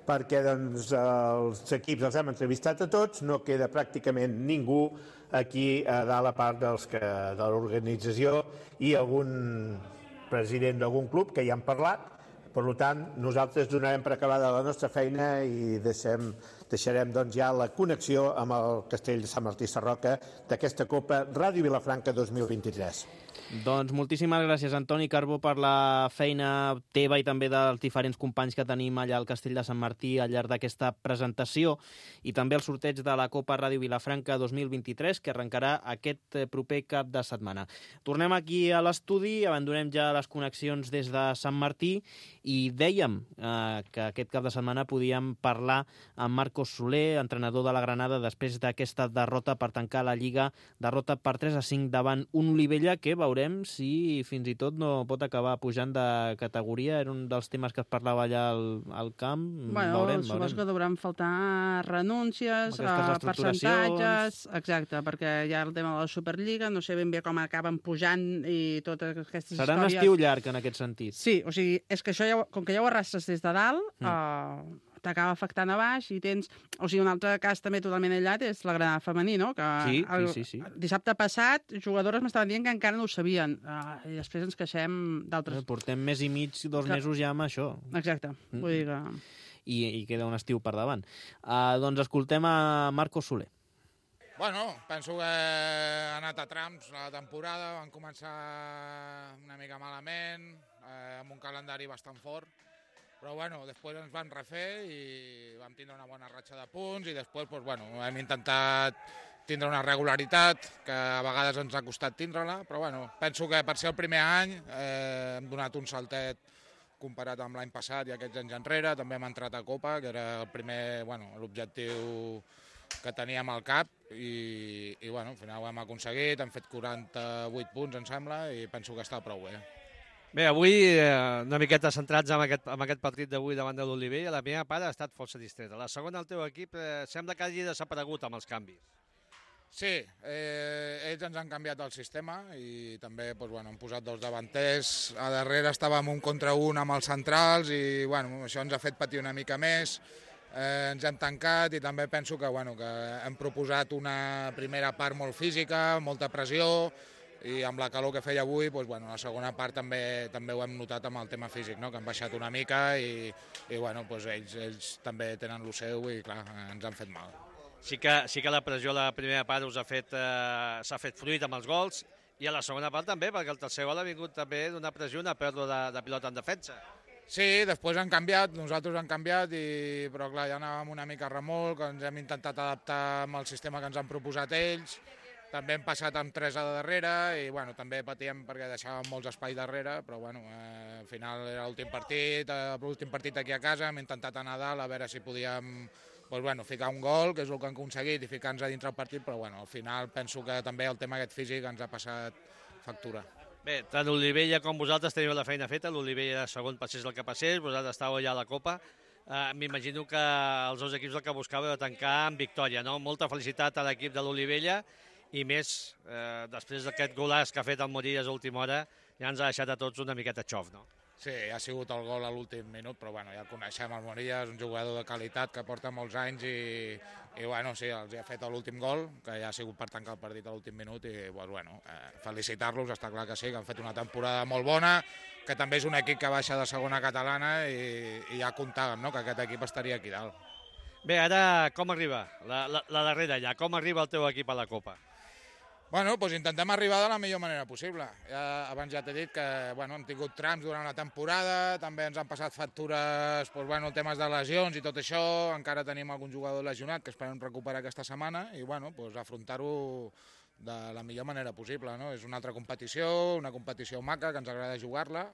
perquè doncs, els equips els hem entrevistat a tots, no queda pràcticament ningú aquí a dalt a part dels que, de l'organització i algun president d'algun club que ja han parlat. Per tant, nosaltres donarem per acabada la nostra feina i deixem, deixarem doncs, ja la connexió amb el Castell de Sant Martí Sarroca d'aquesta Copa Ràdio Vilafranca dos mil vint-i-tres. Doncs moltíssimes gràcies, Antoni Carbó, per la feina teva i també dels diferents companys que tenim allà al Castell de Sant Martí al llarg d'aquesta presentació i també el sorteig de la Copa Ràdio Vilafranca dos mil vint-i-tres, que arrencarà aquest proper cap de setmana. Tornem aquí a l'estudi, abandonem ja les connexions des de Sant Martí i dèiem eh, que aquest cap de setmana podíem parlar amb Marcos Soler, entrenador de la Granada, després d'aquesta derrota per tancar la Lliga, derrota per tres a cinc davant un Olivella que veurem si fins i tot no pot acabar pujant de categoria. Era un dels temes que es parlava allà al, al camp. Bueno, veurem, suposo veurem. que devran faltar renúncies, Aquestes eh, percentatges... Exacte, perquè hi ha el tema de la Superliga, no sé ben bé com acaben pujant i totes aquestes Serà històries... un estiu llarg en aquest sentit. Sí, o sigui, és que això, ja, com que ja ho arrastres des de dalt, mm. eh, t'acaba afectant a baix i tens... O sigui, un altre cas també totalment aïllat és la Granada femení, no? Que sí, el, sí, sí, sí. Dissabte passat, jugadores m'estaven dient que encara no ho sabien. Uh, I després ens queixem d'altres... Portem mes i mig, dos que... mesos ja amb això. Exacte. Mm. Vull dir que... I, I queda un estiu per davant. Uh, doncs escoltem a Marcos Soler. Bueno, penso que ha anat a trams la temporada, van començar una mica malament, eh, amb un calendari bastant fort, però bueno, després ens van refer i vam tindre una bona ratxa de punts i després pues, bueno, hem intentat tindre una regularitat que a vegades ens ha costat tindre-la, però bueno, penso que per ser el primer any eh, hem donat un saltet comparat amb l'any passat i aquests anys enrere. També hem entrat a Copa, que era el primer, bueno, l'objectiu que teníem al cap i, i bueno, al final ho hem aconseguit, hem fet quaranta-vuit punts, em sembla, i penso que està prou bé. Bé, avui eh, una miqueta centrats en aquest, en aquest partit d'avui davant de l'Olivella. La primera part ha estat força distreta. La segona, el teu equip eh, sembla que hagi desaparegut amb els canvis. Sí, eh, ells ens han canviat el sistema i també doncs, bueno, han posat dos davanters. A darrere estàvem un contra un amb els centrals i bueno, això ens ha fet patir una mica més. Eh, ens hem tancat i també penso que, bueno, que hem proposat una primera part molt física, molta pressió, i amb la calor que feia avui, doncs, bueno, la segona part també també ho hem notat amb el tema físic, no? Que han baixat una mica i, i bueno, doncs ells, ells també tenen el seu i clar, ens han fet mal. Sí que, sí que la pressió a la primera part us ha fet, eh, s'ha fet fruit amb els gols i a la segona part també, perquè el tercer gol ha vingut també d'una pressió, una pèrdua de, de pilota en defensa. Sí, després han canviat, nosaltres hem canviat, i, però clar, ja anàvem una mica a remolc, ens hem intentat adaptar amb el sistema que ens han proposat ells. També hem passat amb tres a darrere i bueno, també patíem perquè deixàvem molts espais darrere, però bueno, eh, al final era l'últim partit, eh, l'últim partit aquí a casa, hem intentat anar a dalt a veure si podíem pues, bueno, ficar un gol, que és el que han aconseguit, i ficar-nos a dintre el partit, però bueno, al final penso que també el tema aquest físic ens ha passat factura. Bé, tant l'Olivella com vosaltres teniu la feina feta, l'Olivella segon passés el que passés, vosaltres estàveu ja a la Copa. Uh, M'imagino que els dos equips el que buscàveu era tancar amb victòria, no? Molta felicitat a l'equip de l'Olivella i més, eh, després d'aquest golaç que ha fet el Morillas a última hora, ja ens ha deixat a tots una miqueta xof, no? Sí, ha sigut el gol a l'últim minut, però bueno, ja el coneixem, el Morillas, un jugador de qualitat que porta molts anys i, i bueno, sí, els ha fet l'últim gol, que ja ha sigut per tancar el partit a l'últim minut i pues, bueno, eh, felicitar-los, està clar que sí, que han fet una temporada molt bona, que també és un equip que baixa de segona catalana i, i ja comptàvem, no?, que aquest equip estaria aquí dalt. Bé, ara com arriba? La, la, la darrera ja, com arriba el teu equip a la Copa? Bueno, doncs intentem arribar de la millor manera possible. Ja, abans ja t'he dit que bueno, hem tingut trams durant la temporada, també ens han passat factures, doncs, bueno, temes de lesions i tot això, encara tenim algun jugador lesionat que esperem recuperar aquesta setmana i bueno, doncs, afrontar-ho de la millor manera possible. No? És una altra competició, una competició maca, que ens agrada jugar-la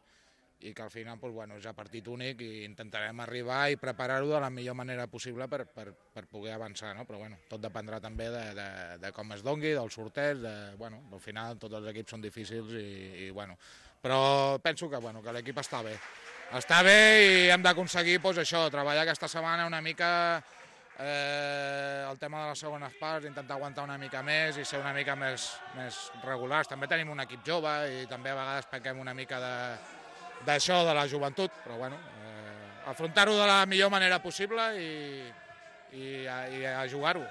i que al final doncs, bueno, és a partit únic i intentarem arribar i preparar-ho de la millor manera possible per, per, per poder avançar, no? Però bueno, tot dependrà també de, de, de com es dongui, del sorteig, de, bueno, al final tots els equips són difícils i, i bueno, però penso que, bueno, que l'equip està bé. està bé i hem d'aconseguir doncs, això, treballar aquesta setmana una mica eh, el tema de les segones parts, intentar aguantar una mica més i ser una mica més, més regulars. També tenim un equip jove i també a vegades pequem una mica d'això, de, de la joventut, però bueno, eh, afrontar-ho de la millor manera possible i, i, a, i a jugar-ho.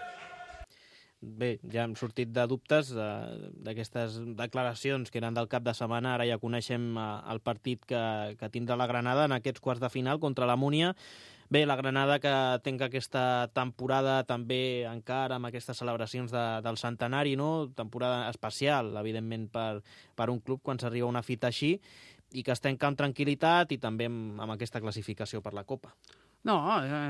Bé, ja hem sortit de dubtes d'aquestes declaracions que eren del cap de setmana. Ara ja coneixem el partit que, que tindrà la Granada en aquests quarts de final contra la Múnia. Bé, la Granada que tenca aquesta temporada també encara amb aquestes celebracions de, del centenari, no? Temporada especial, evidentment, per, per un club quan s'arriba a una fita així, i que es tanca amb tranquil·litat i també amb, amb aquesta classificació per la Copa. No,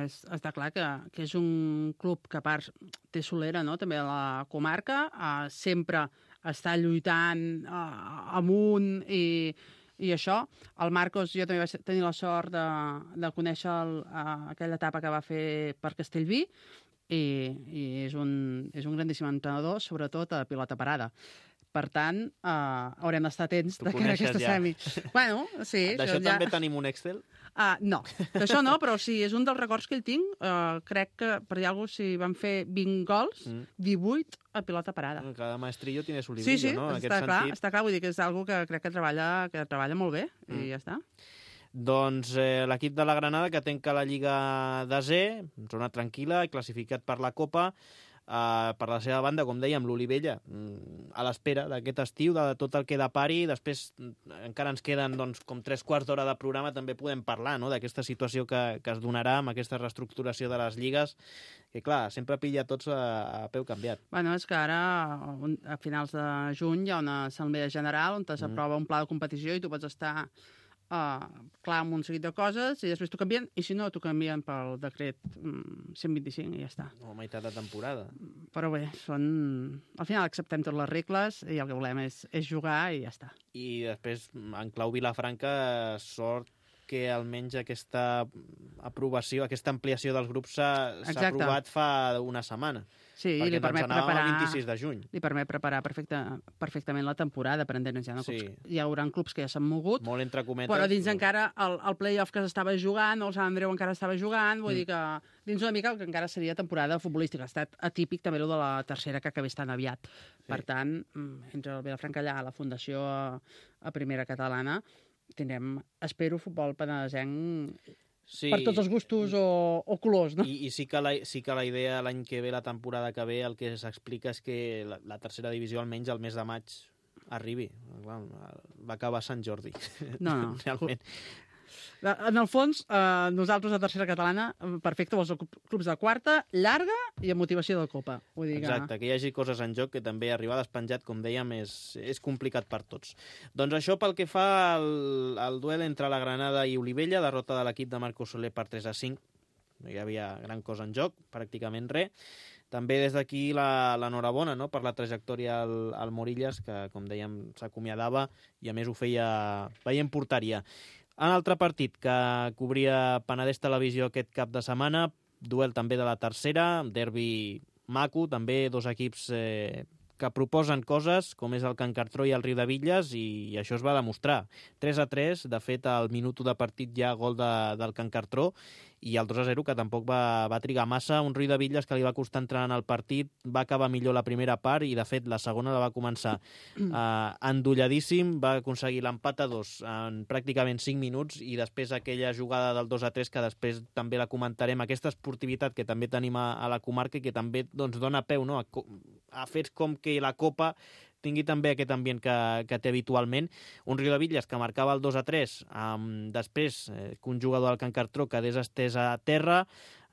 és, està clar que, que és un club que a part té solera, no?, també a la comarca, eh, sempre està lluitant eh, amunt i, i això. El Marcos, jo també vaig tenir la sort de, de conèixer el, eh, aquella etapa que va fer per Castellví i, i és, un, és un grandíssim entrenador, sobretot a pilota parada. Per tant, uh, haurem d'estar atents de cara a aquesta ja. semi. Bueno, sí. D'això ja... també tenim un Excel? Uh, no, d'això no, però sí, és un dels records que ell tinc. Uh, crec que, per dir alguna cosa, si van fer vint gols, mm. divuit a pilota parada. Cada maestrillo tiene su librillo, sí, sí, no? En està aquest clar, sentit... està clar, vull dir que és algo que crec que treballa, que treballa molt bé, mm. i ja està. Doncs eh, l'equip de la Granada, que tenca la Lliga desè, zona tranquil·la, classificat per la Copa. Uh, per la seva banda, com dèiem, l'Olivella a l'espera d'aquest estiu, de tot el que depari. Després encara ens queden doncs, com tres quarts d'hora de programa, també podem parlar, no?, d'aquesta situació que, que es donarà amb aquesta reestructuració de les lligues, que clar, sempre pilla tots a, a peu canviat. Bueno, és que ara, a finals de juny, hi ha una assemblea general on s'aprova mm. un pla de competició i tu pots estar Uh, clar amb un seguit de coses i després t'ho canvien, i si no, t'ho canvien pel decret um, cent vint-i-cinc i ja està. O meitat de temporada. Però bé, són... al final acceptem totes les regles i el que volem és, és jugar i ja està. I després, en clau Vilafranca, sort que almenys aquesta aprovació, aquesta ampliació dels grups s'ha aprovat fa una setmana. Sí, i li permet preparar... el vint-i-sis de juny. Li permet preparar perfecte, perfectament la temporada, per entendre'ns ja. No? Sí. Hi haurà clubs que ja s'han mogut, molt entre cometes, però dins però... encara el, el play-off que s'estava jugant, el Sant Andreu encara estava jugant, vull mm. dir que dins una mica el que encara seria temporada futbolística. Ha estat atípic també el de la tercera, que acabés tan aviat. Sí. Per tant, entre el Vilafranca allà, la Fundació a, a Primera Catalana, tindrem, espero, futbol penedesenc sí. per tots els gustos o, o colors, no? I, i sí, que la, sí que la idea l'any que ve, la temporada que ve, el que s'explica és que la, la tercera divisió almenys el mes de maig arribi. Va acabar Sant Jordi. No, no. Realment. En el fons, eh, nosaltres a tercera catalana, perfecte, els clubs de quarta, llarga i amb motivació de Copa. Vull dir Exacte, que... que hi hagi coses en joc, que també arribar despenjat, com dèiem, és, és complicat per tots. Doncs això pel que fa al, al duel entre la Granada i Olivella, derrota de l'equip de Marco Soler per tres a cinc. No hi havia gran cosa en joc, pràcticament res. També des d'aquí l'enhorabona, no?, per la trajectòria al, al Morillas, que, com dèiem, s'acomiadava i a més ho feia veient porteria. En altre partit que cobria Penedès Televisió aquest cap de setmana, duel també de la tercera, derbi maco, també dos equips eh, que proposen coses, com és el Can Cartró i el Riudebitlles, i, i això es va demostrar. tres a tres, de fet, al minut de partit ja gol de, del Can Cartró, i el dos a zero, que tampoc va, va trigar massa. Un Riudebitlles que li va costar entrar en el partit, va acabar millor la primera part i, de fet, la segona la va començar eh, endolladíssim, va aconseguir l'empat a dos en pràcticament cinc minuts, i després aquella jugada del dos a tres, que després també la comentarem, aquesta esportivitat que també tenim a, a la comarca i que també doncs, dona peu, no?, a, a fets com que la Copa tingui també aquest ambient que, que té habitualment. Un Riudebitlles que marcava el dos a tres, um, després eh, que un jugador del Can Cartró quedés estès a terra,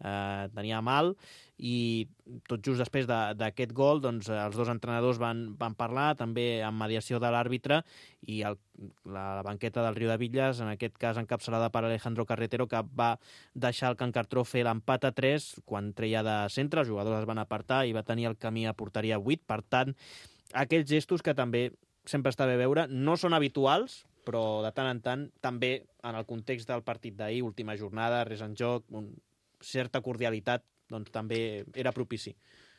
eh, tenia mal, i tot just després d'aquest gol, doncs, els dos entrenadors van, van parlar, també amb mediació de l'àrbitre, i el, la banqueta del Riudebitlles, en aquest cas encapçalada per Alejandro Carretero, que va deixar el Can Cartró fer l'empat a tres, quan treia de centre, els jugadors es van apartar i va tenir el camí a porteria vuit. Per tant, aquells gestos que també sempre està bé veure, no són habituals, però de tant en tant, també en el context del partit d'ahir, última jornada, res en joc, un, certa cordialitat, doncs també era propici.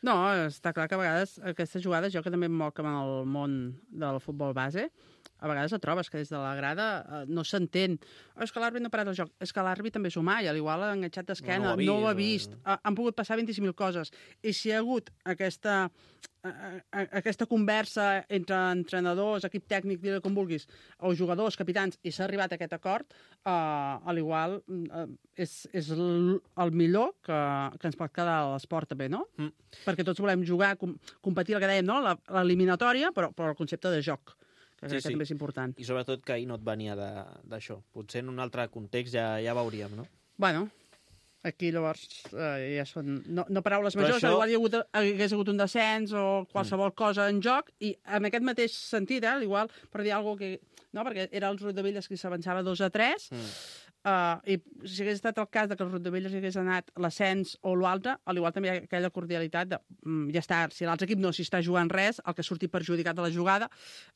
No, està clar que a vegades aquestes jugades, jo que també em moc amb el món del futbol base, a vegades et trobes que des de la grada eh, no s'entén. Oh, és que l'àrbit no ha parat el joc. És que l'àrbit també és humà i igual ha enganxat d'esquena, no, no ho ha vist. O... Han pogut passar vint-i-cinc mil coses. I si hi ha hagut aquesta, a, a, aquesta conversa entre entrenadors, equip tècnic, dir-ho com vulguis, o jugadors, capitans, i s'ha arribat a aquest acord, eh, a l'igual eh, és, és el, el millor que, que ens pot quedar a l'esport també, no? Mm. Perquè tots volem jugar, com, competir, el que dèiem, no? L'eliminatòria, però, però el concepte de joc, que sí, crec sí. que també és important. I sobretot que ahir no et venia d'això. Potser en un altre context ja, ja veuríem, no? Bueno, aquí llavors eh, ja són no, no paraules majors, això... igual hi ha hagut, hagués hagut un descens o qualsevol mm. cosa en joc, i en aquest mateix sentit, eh, igual per dir alguna cosa que... No, perquè era el Riudebitlles qui s'avançava dos a tres, mm. Uh, i si hagués estat el cas de que el Riudebitlles hagués anat l'ascens o l'altre, a l'igual també hi ha aquella cordialitat de, mm, ja està, si l'altre equip no s'hi està jugant res, el que surti perjudicat de la jugada,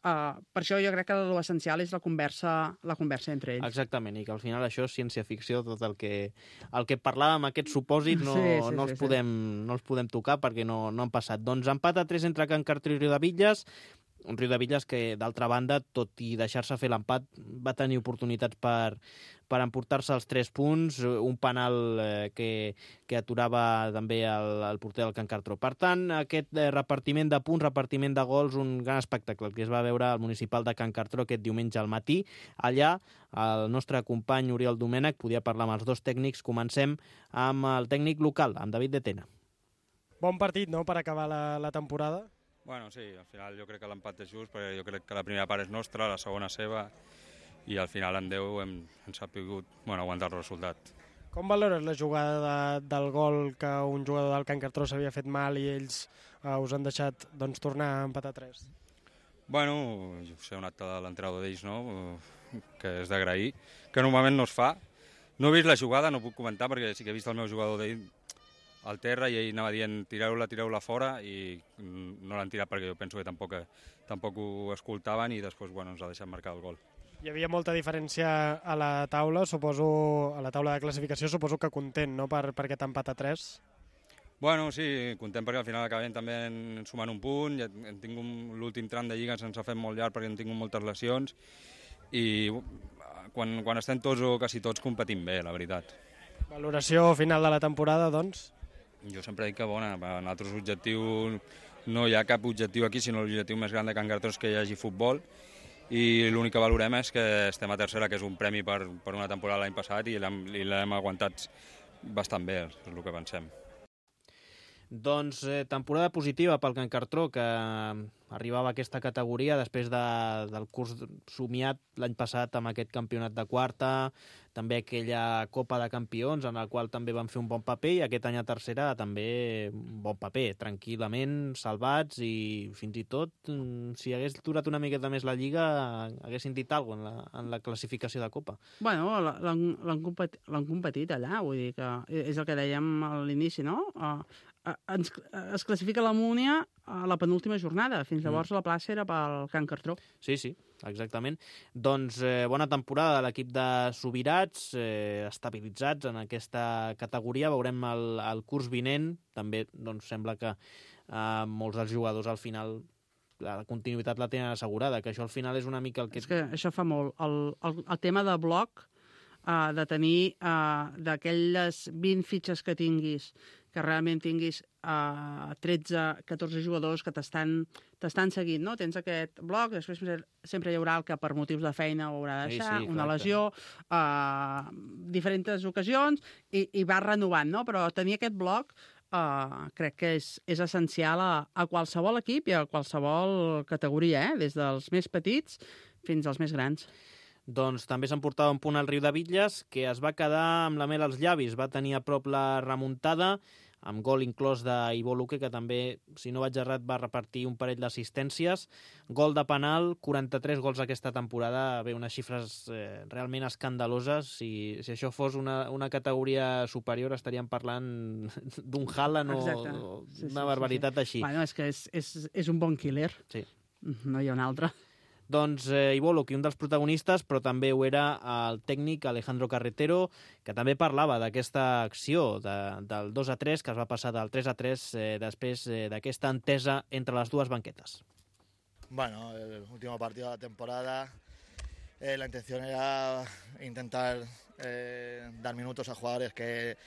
uh, per això jo crec que l'essencial és la conversa, la conversa entre ells. Exactament, i que al final això és ciència-ficció, tot el que, el que parlàvem, aquests supòsits, no, sí, sí, no, els sí, podem, sí. no els podem tocar perquè no, no han passat. Doncs empat a tres entre Can Cartró i Riudebitlles, un Riudebitlles que, d'altra banda, tot i deixar-se fer l'empat, va tenir oportunitats per, per emportar-se els tres punts, un penal eh, que, que aturava també el, el porter del Can Cartró. Per tant, aquest eh, repartiment de punts, repartiment de gols, un gran espectacle que es va veure al municipal de Can Cartró aquest diumenge al matí. Allà, el nostre company Oriol Domènech podia parlar amb els dos tècnics. Comencem amb el tècnic local, amb David de Tena. Bon partit, no?, per acabar la, la temporada. Bueno, sí, al final jo crec que l'empat és just, perquè jo crec que la primera part és nostra, la segona seva, i al final en deu hem, hem sabut bueno, aguantar el resultat. Com valores la jugada de, del gol que un jugador del Can Cartró s'havia fet mal i ells uh, us han deixat doncs, tornar a empatar tres? Bueno, jo sé, un acte de l'entrenador d'ells, no?, que és d'agrair, que normalment no es fa. No he vist la jugada, no puc comentar, perquè sí que he vist el meu jugador d'ell al terra i ell anava dient tireu-la, tireu-la fora, i no l'han tirat perquè jo penso que tampoc, tampoc ho escoltaven, i després bueno, ens ha deixat marcar el gol. Hi havia molta diferència a la taula, suposo, a la taula de classificació, suposo que content, no?, per, per aquest empat a tres. Bueno, sí, content perquè al final acabem també sumant un punt, ja hem tingut l'últim tram de lliga, se'ns ha fet molt llarg perquè hem tingut moltes lesions, i quan, quan estem tots o quasi tots competim bé, la veritat. Valoració final de la temporada, doncs? Jo sempre dic que bona, en altres objectius no hi ha cap objectiu aquí, sinó l'objectiu més gran de Can Cartró és que hi hagi futbol, i l'únic que valorem és que estem a tercera, que és un premi per, per una temporada l'any passat, i l'hem aguantat bastant bé, és el que pensem. Doncs eh, temporada positiva pel Can Cartró, que arribava a aquesta categoria després de, del curs somiat l'any passat amb aquest campionat de quarta, també aquella Copa de Campions en el qual també van fer un bon paper, i aquest any a tercera també un bon paper, tranquil·lament, salvats, i fins i tot, si hagués durat una miqueta més la Lliga, haguessin dit alguna cosa en la, en la classificació de Copa. Bueno, l'han competit, competit allà, vull dir que és el que dèiem a l'inici, no? Uh, ens, es classifica la Múnia a la penúltima jornada. Fins llavors mm. la plaça era pel Can Cartró. Sí, sí, exactament. Doncs eh, bona temporada de l'equip de Subirats, eh, estabilitzats en aquesta categoria. Veurem el, el curs vinent. També doncs, sembla que eh, molts dels jugadors al final la continuïtat la tenen assegurada, que això al final és una mica el que... És que això fa molt. El, el, el tema de bloc, uh, de tenir uh, d'aquelles vint fitxes que tinguis, que realment tinguis uh, tretze catorze jugadors que t'estan seguint, no? Tens aquest bloc, després sempre hi haurà el que per motius de feina ho haurà de deixar, sí, sí, una lesió, uh, diferents ocasions, i, i va renovant, no? Però tenir aquest bloc uh, crec que és, és essencial a, a qualsevol equip i a qualsevol categoria, eh? Des dels més petits fins als més grans. Doncs també s'emportava un punt al Riudebitlles, que es va quedar amb la mel als llavis. Va tenir a prop la remuntada, amb gol inclòs d'Ivo Luque, que també, si no vaig errat, va repartir un parell d'assistències. Gol de penal, quaranta-tres gols aquesta temporada, bé, unes xifres eh, realment escandaloses. Si, si això fos una, una categoria superior, estaríem parlant d'un Haaland o sí, una sí, barbaritat sí, sí. així. Bueno, és que és, és, és un bon killer. Sí. No hi ha un altre. Doncs eh, Ivo Luque, un dels protagonistes, però també ho era el tècnic Alejandro Carretero, que també parlava d'aquesta acció de, del dos a tres, que es va passar del tres a tres eh, després eh, d'aquesta entesa entre les dues banquetes. Bueno, el último partido de la temporada, eh, la intención era intentar eh, dar minutos a jugadores que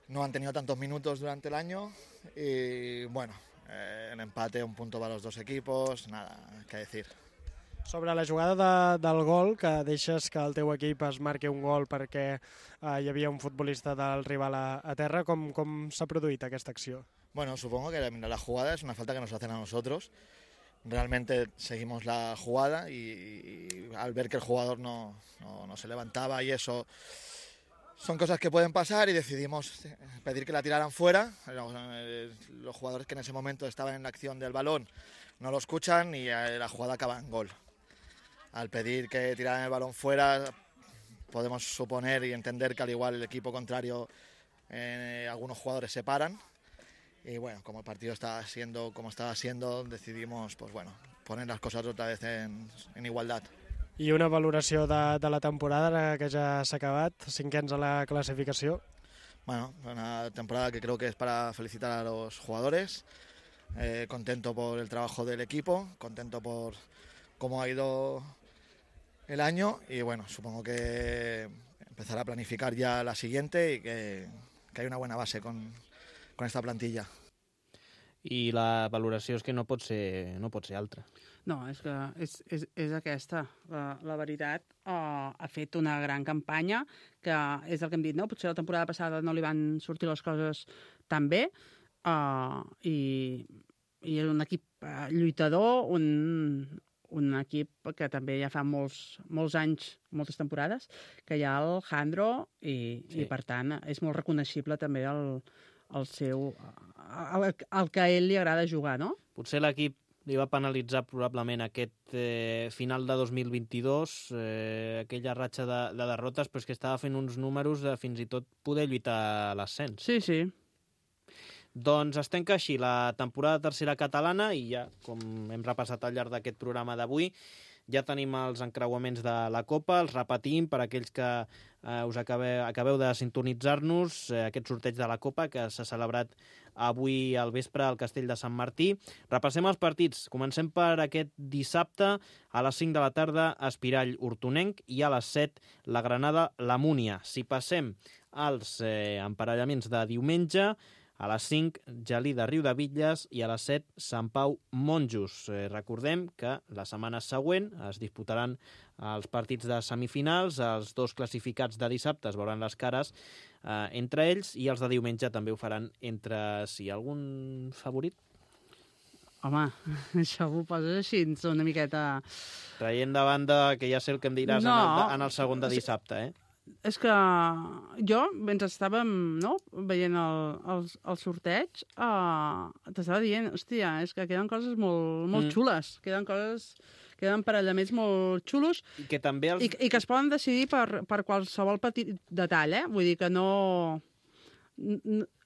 no han tenido tantos minutos durante el año y bueno, eh, el empate, un punto para los dos equipos, nada que decir. Sobre la jugada de, del gol, que deixes que el teu equip es marqui un gol perquè eh, hi havia un futbolista del rival a, a terra, com, com s'ha produït aquesta acció? Bueno, supongo que la jugada es una falta que nos hacen a nosotros. Realmente seguimos la jugada y, y al ver que el jugador no, no, no se levantaba y eso, son cosas que pueden pasar y decidimos pedir que la tiraran fuera. Los jugadores que en ese momento estaban en la acción del balón no lo escuchan y la jugada acaba en gol. Al pedir que tiraran el balón fuera, podemos suponer y entender que al igual el equipo contrario, eh, algunos jugadores se paran. Y bueno, como el partido estaba siendo como estaba siendo, decidimos pues bueno, poner las cosas otra vez en, en igualdad. I una valoració de, de la temporada que ja s'ha acabat, cinquens a la clasificació. Bueno, una temporada que creo que es para felicitar a los jugadores, eh, contento por el trabajo del equipo, contento por cómo ha ido el año y bueno, supongo que empezar a planificar ya la siguiente y que, que hay una buena base con, con esta plantilla. I la valoració és que no pot ser, no pot ser altra. No, és que és, és, és aquesta. La, la veritat, uh, ha fet una gran campanya, que és el que hem dit, no? Potser la temporada passada no li van sortir les coses tan bé, uh, i, i és un equip uh, lluitador, un, un equip que també ja fa molts, molts anys, moltes temporades, que hi ha el Jandro, i, sí. i per tant és molt reconeixible també el, el seu... El, el que a ell li agrada jugar, no? Potser l'equip li va penalitzar probablement aquest eh, final de dos mil vint-i-dos, eh, aquella ratxa de, de derrotes, però és que estava fent uns números de fins i tot poder lluitar a l'ascens. Sí, sí. Doncs es tanca així la temporada tercera catalana i ja, com hem repassat al llarg d'aquest programa d'avui, ja tenim els encreuaments de la Copa, els repetim per aquells que eh, us acabeu, acabeu de sintonitzar-nos, eh, aquest sorteig de la Copa que s'ha celebrat avui al vespre al Castell de Sant Martí. Repassem els partits. Comencem per aquest dissabte a les cinc de la tarda, Espirall Hortonenc, i a les set la Granada la Múnia. Si passem als eh, emparellaments de diumenge, a les cinc, Gelida Riudebitlles i a les set, Sant Pau Monjos. Eh, recordem que la setmana següent es disputaran els partits de semifinals, els dos classificats de dissabte es veuran les cares eh, entre ells i els de diumenge també ho faran entre si. Algun favorit? Home, això ho poses així una miqueta... Traient de banda, que ja sé el que em diràs no, en, el, en el segon de dissabte, eh? És que jo, mentre estàvem no, veient el, el, el sorteig, uh, t'estava dient, hòstia, és que queden coses molt, molt mm. xules, queden coses, queden emparellaments molt xulos i que, també els... i, i que es poden decidir per, per qualsevol petit detall, eh? Vull dir que no...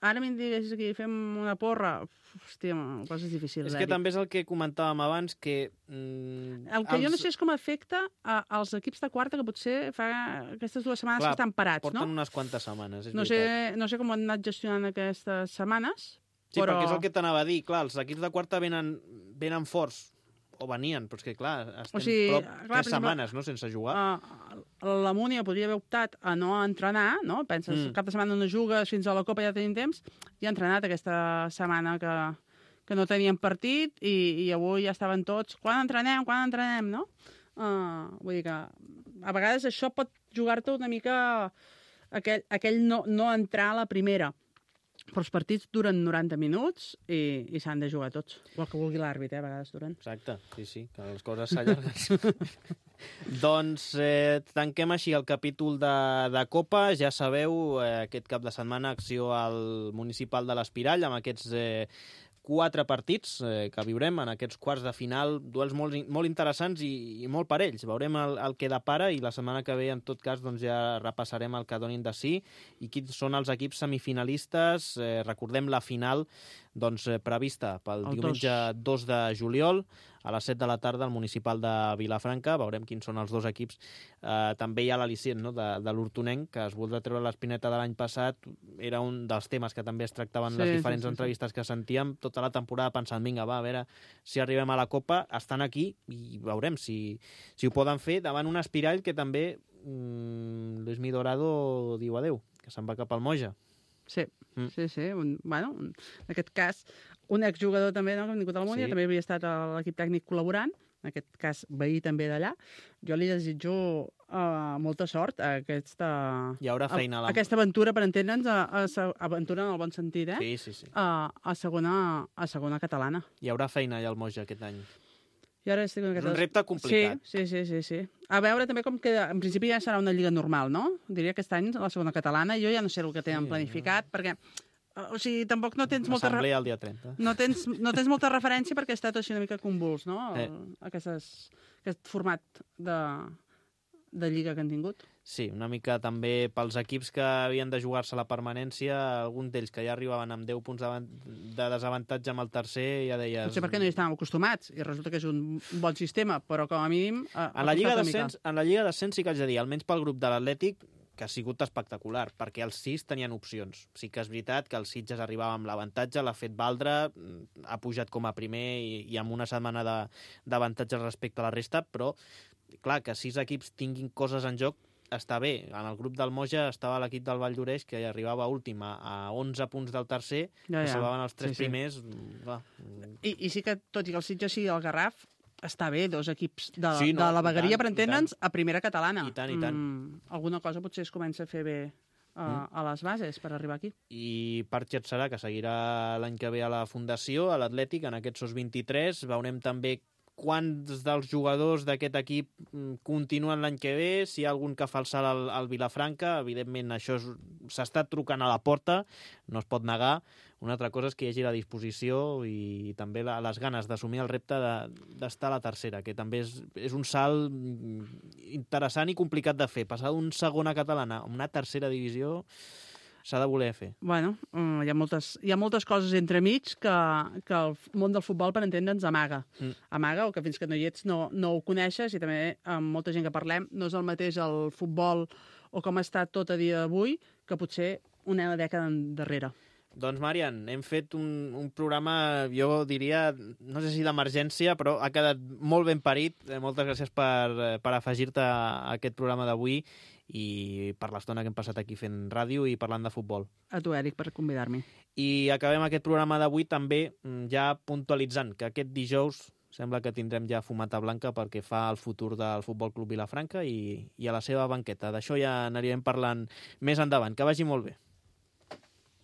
Ara m'hi diguessis que fem una porra, hòstia, coses difícils. És que Eric. També és el que comentàvem abans, que... Mm, el que els... jo no sé és com afecta a, als equips de quarta, que potser fa aquestes dues setmanes Clar, que estan parats, porten no? Porten unes quantes setmanes, és no sé, no sé com han anat gestionant aquestes setmanes, sí, però... perquè és el que t'anava a dir, clar, els equips de quarta venen, venen forts, o venien, però és que, clar, estem o sigui, prop clar, tres setmanes, no?, sense jugar. Uh, la Múnia podria haver optat a no entrenar, no? Penses, mm. cap de setmana no jugues, fins a la Copa ja tenim temps, i ha entrenat aquesta setmana que, que no tenien partit, i, i avui ja estaven tots, quan entrenem, quan entrenem, no? Uh, vull dir que a vegades això pot jugar-te una mica aquell, aquell no, no entrar a la primera. Però els partits duren noranta minuts i, i s'han de jugar tots. O el que vulgui l'àrbit, eh, a vegades duren. Exacte, sí, sí, que les coses s'allarguen. Doncs eh, tanquem així el capítol de, de Copa. Ja sabeu, eh, aquest cap de setmana acció al Municipal de l'Espirall amb aquests eh, quatre partits eh, que viurem en aquests quarts de final, duels molt, molt interessants i, i molt parells. Veurem el, el que depara i la setmana que ve, en tot cas, doncs ja repassarem el que donin de sí i quins són els equips semifinalistes. Eh, recordem la final doncs, eh, prevista pel El diumenge dos de juliol, a les set de la tarda al municipal de Vilafranca. Veurem quins són els dos equips. Eh, també hi ha l'al·licient, no?, de, de l'Hortonenc, que es voldrà treure l'espineta de l'any passat. Era un dels temes que també es tractaven en Sí, les sí, diferents sí, sí. entrevistes que sentíem tota la temporada pensant, vinga, va, a veure si arribem a la Copa. Estan aquí i veurem si, si ho poden fer davant un Espirall que també mmm, Luis Mi Dorado diu adeu, que se'n va cap al Moja. Sí, mm. sí, sí. Un, bueno, un, en aquest cas, un exjugador també, no?, que ha vingut a la Múnia, sí. També havia estat a l'equip tècnic col·laborant, en aquest cas veí també d'allà. Jo li desitjo uh, molta sort a aquesta, Hi haurà feina a, a la... aquesta aventura, per entendre'ns, a, a, a, aventura en el bon sentit, eh? Sí, sí, sí. A, a, segona, a segona catalana. Hi haurà feina allà al Moja aquest any. I ara estic És un repte complicat. Sí, sí, sí, sí, sí. A veure també com queda... En principi ja serà una lliga normal, no? Diria que aquest any la segona catalana. Jo ja no sé el que tenen sí, planificat, ja. perquè... O sigui, tampoc no tens molta... Assemblea el dia trenta. No tens, no tens molta referència perquè ha estat així una mica convuls, no? El, Eh. Aquestes, aquest format de, de lliga que han tingut. Sí, una mica també pels equips que havien de jugar-se la permanència, alguns d'ells que ja arribaven amb deu punts de desavantatge amb el tercer, ja deies... Potser perquè no hi estàvem acostumats, i resulta que és un bon sistema, però com a mínim... Ha, en, la Lliga d'Ascens, en la Lliga d'Ascens sí que haig de dir, almenys pel grup de l'Atlètic, que ha sigut espectacular, perquè els sis tenien opcions. Sí que és veritat que el Sitges arribava amb l'avantatge, l'ha fet valdre, ha pujat com a primer i, i amb una setmana d'avantatge respecte a la resta, però, clar, que sis equips tinguin coses en joc està bé. En el grup del Moja estava l'equip del Vall d'Oreix, que arribava última a onze punts del tercer, ja, ja. que salvaven els tres sí, sí. primers. Va. I, I sí que, tot i que el Sitges sigui el Garraf, està bé, dos equips de, sí, no, de la vegueria, tant, per entendre'ns, a primera catalana. I tant, i tant. Mm, alguna cosa potser es comença a fer bé a, mm. a les bases per arribar aquí. I Parchet serà que seguirà l'any que ve a la Fundació, a l'Atlètic, en aquests sos vint-i-tres. Veurem també quants dels jugadors d'aquest equip continuen l'any que ve, si hi ha algun que fa el salt al, al Vilafranca. Evidentment, això s'ha estat trucant a la porta, no es pot negar. Una altra cosa és que hi hagi la disposició i també la, les ganes d'assumir el repte d'estar de, a la tercera, que també és, és un salt interessant i complicat de fer. Passar d'un segona catalana a una tercera divisió s'ha de voler fer. Bueno, uh, hi, ha moltes, hi ha moltes coses entremig que, que el món del futbol, per entendre'ns, amaga. Mm. Amaga, o que fins que no hi ets no, no ho coneixes, i també amb molta gent que parlem no és el mateix el futbol o com està tot a dia d'avui que potser una dècada darrere. Doncs, Marian, hem fet un, un programa, jo diria, no sé si d'emergència, però ha quedat molt ben parit. Moltes gràcies per, per afegir-te a aquest programa d'avui i per l'estona que hem passat aquí fent ràdio i parlant de futbol. A tu, Eric, per convidar-me. I acabem aquest programa d'avui també ja puntualitzant que aquest dijous sembla que tindrem ja fumata blanca perquè fa el futur del Futbol Club Vilafranca i, i a la seva banqueta. D'això ja anirem parlant més endavant. Que vagi molt bé.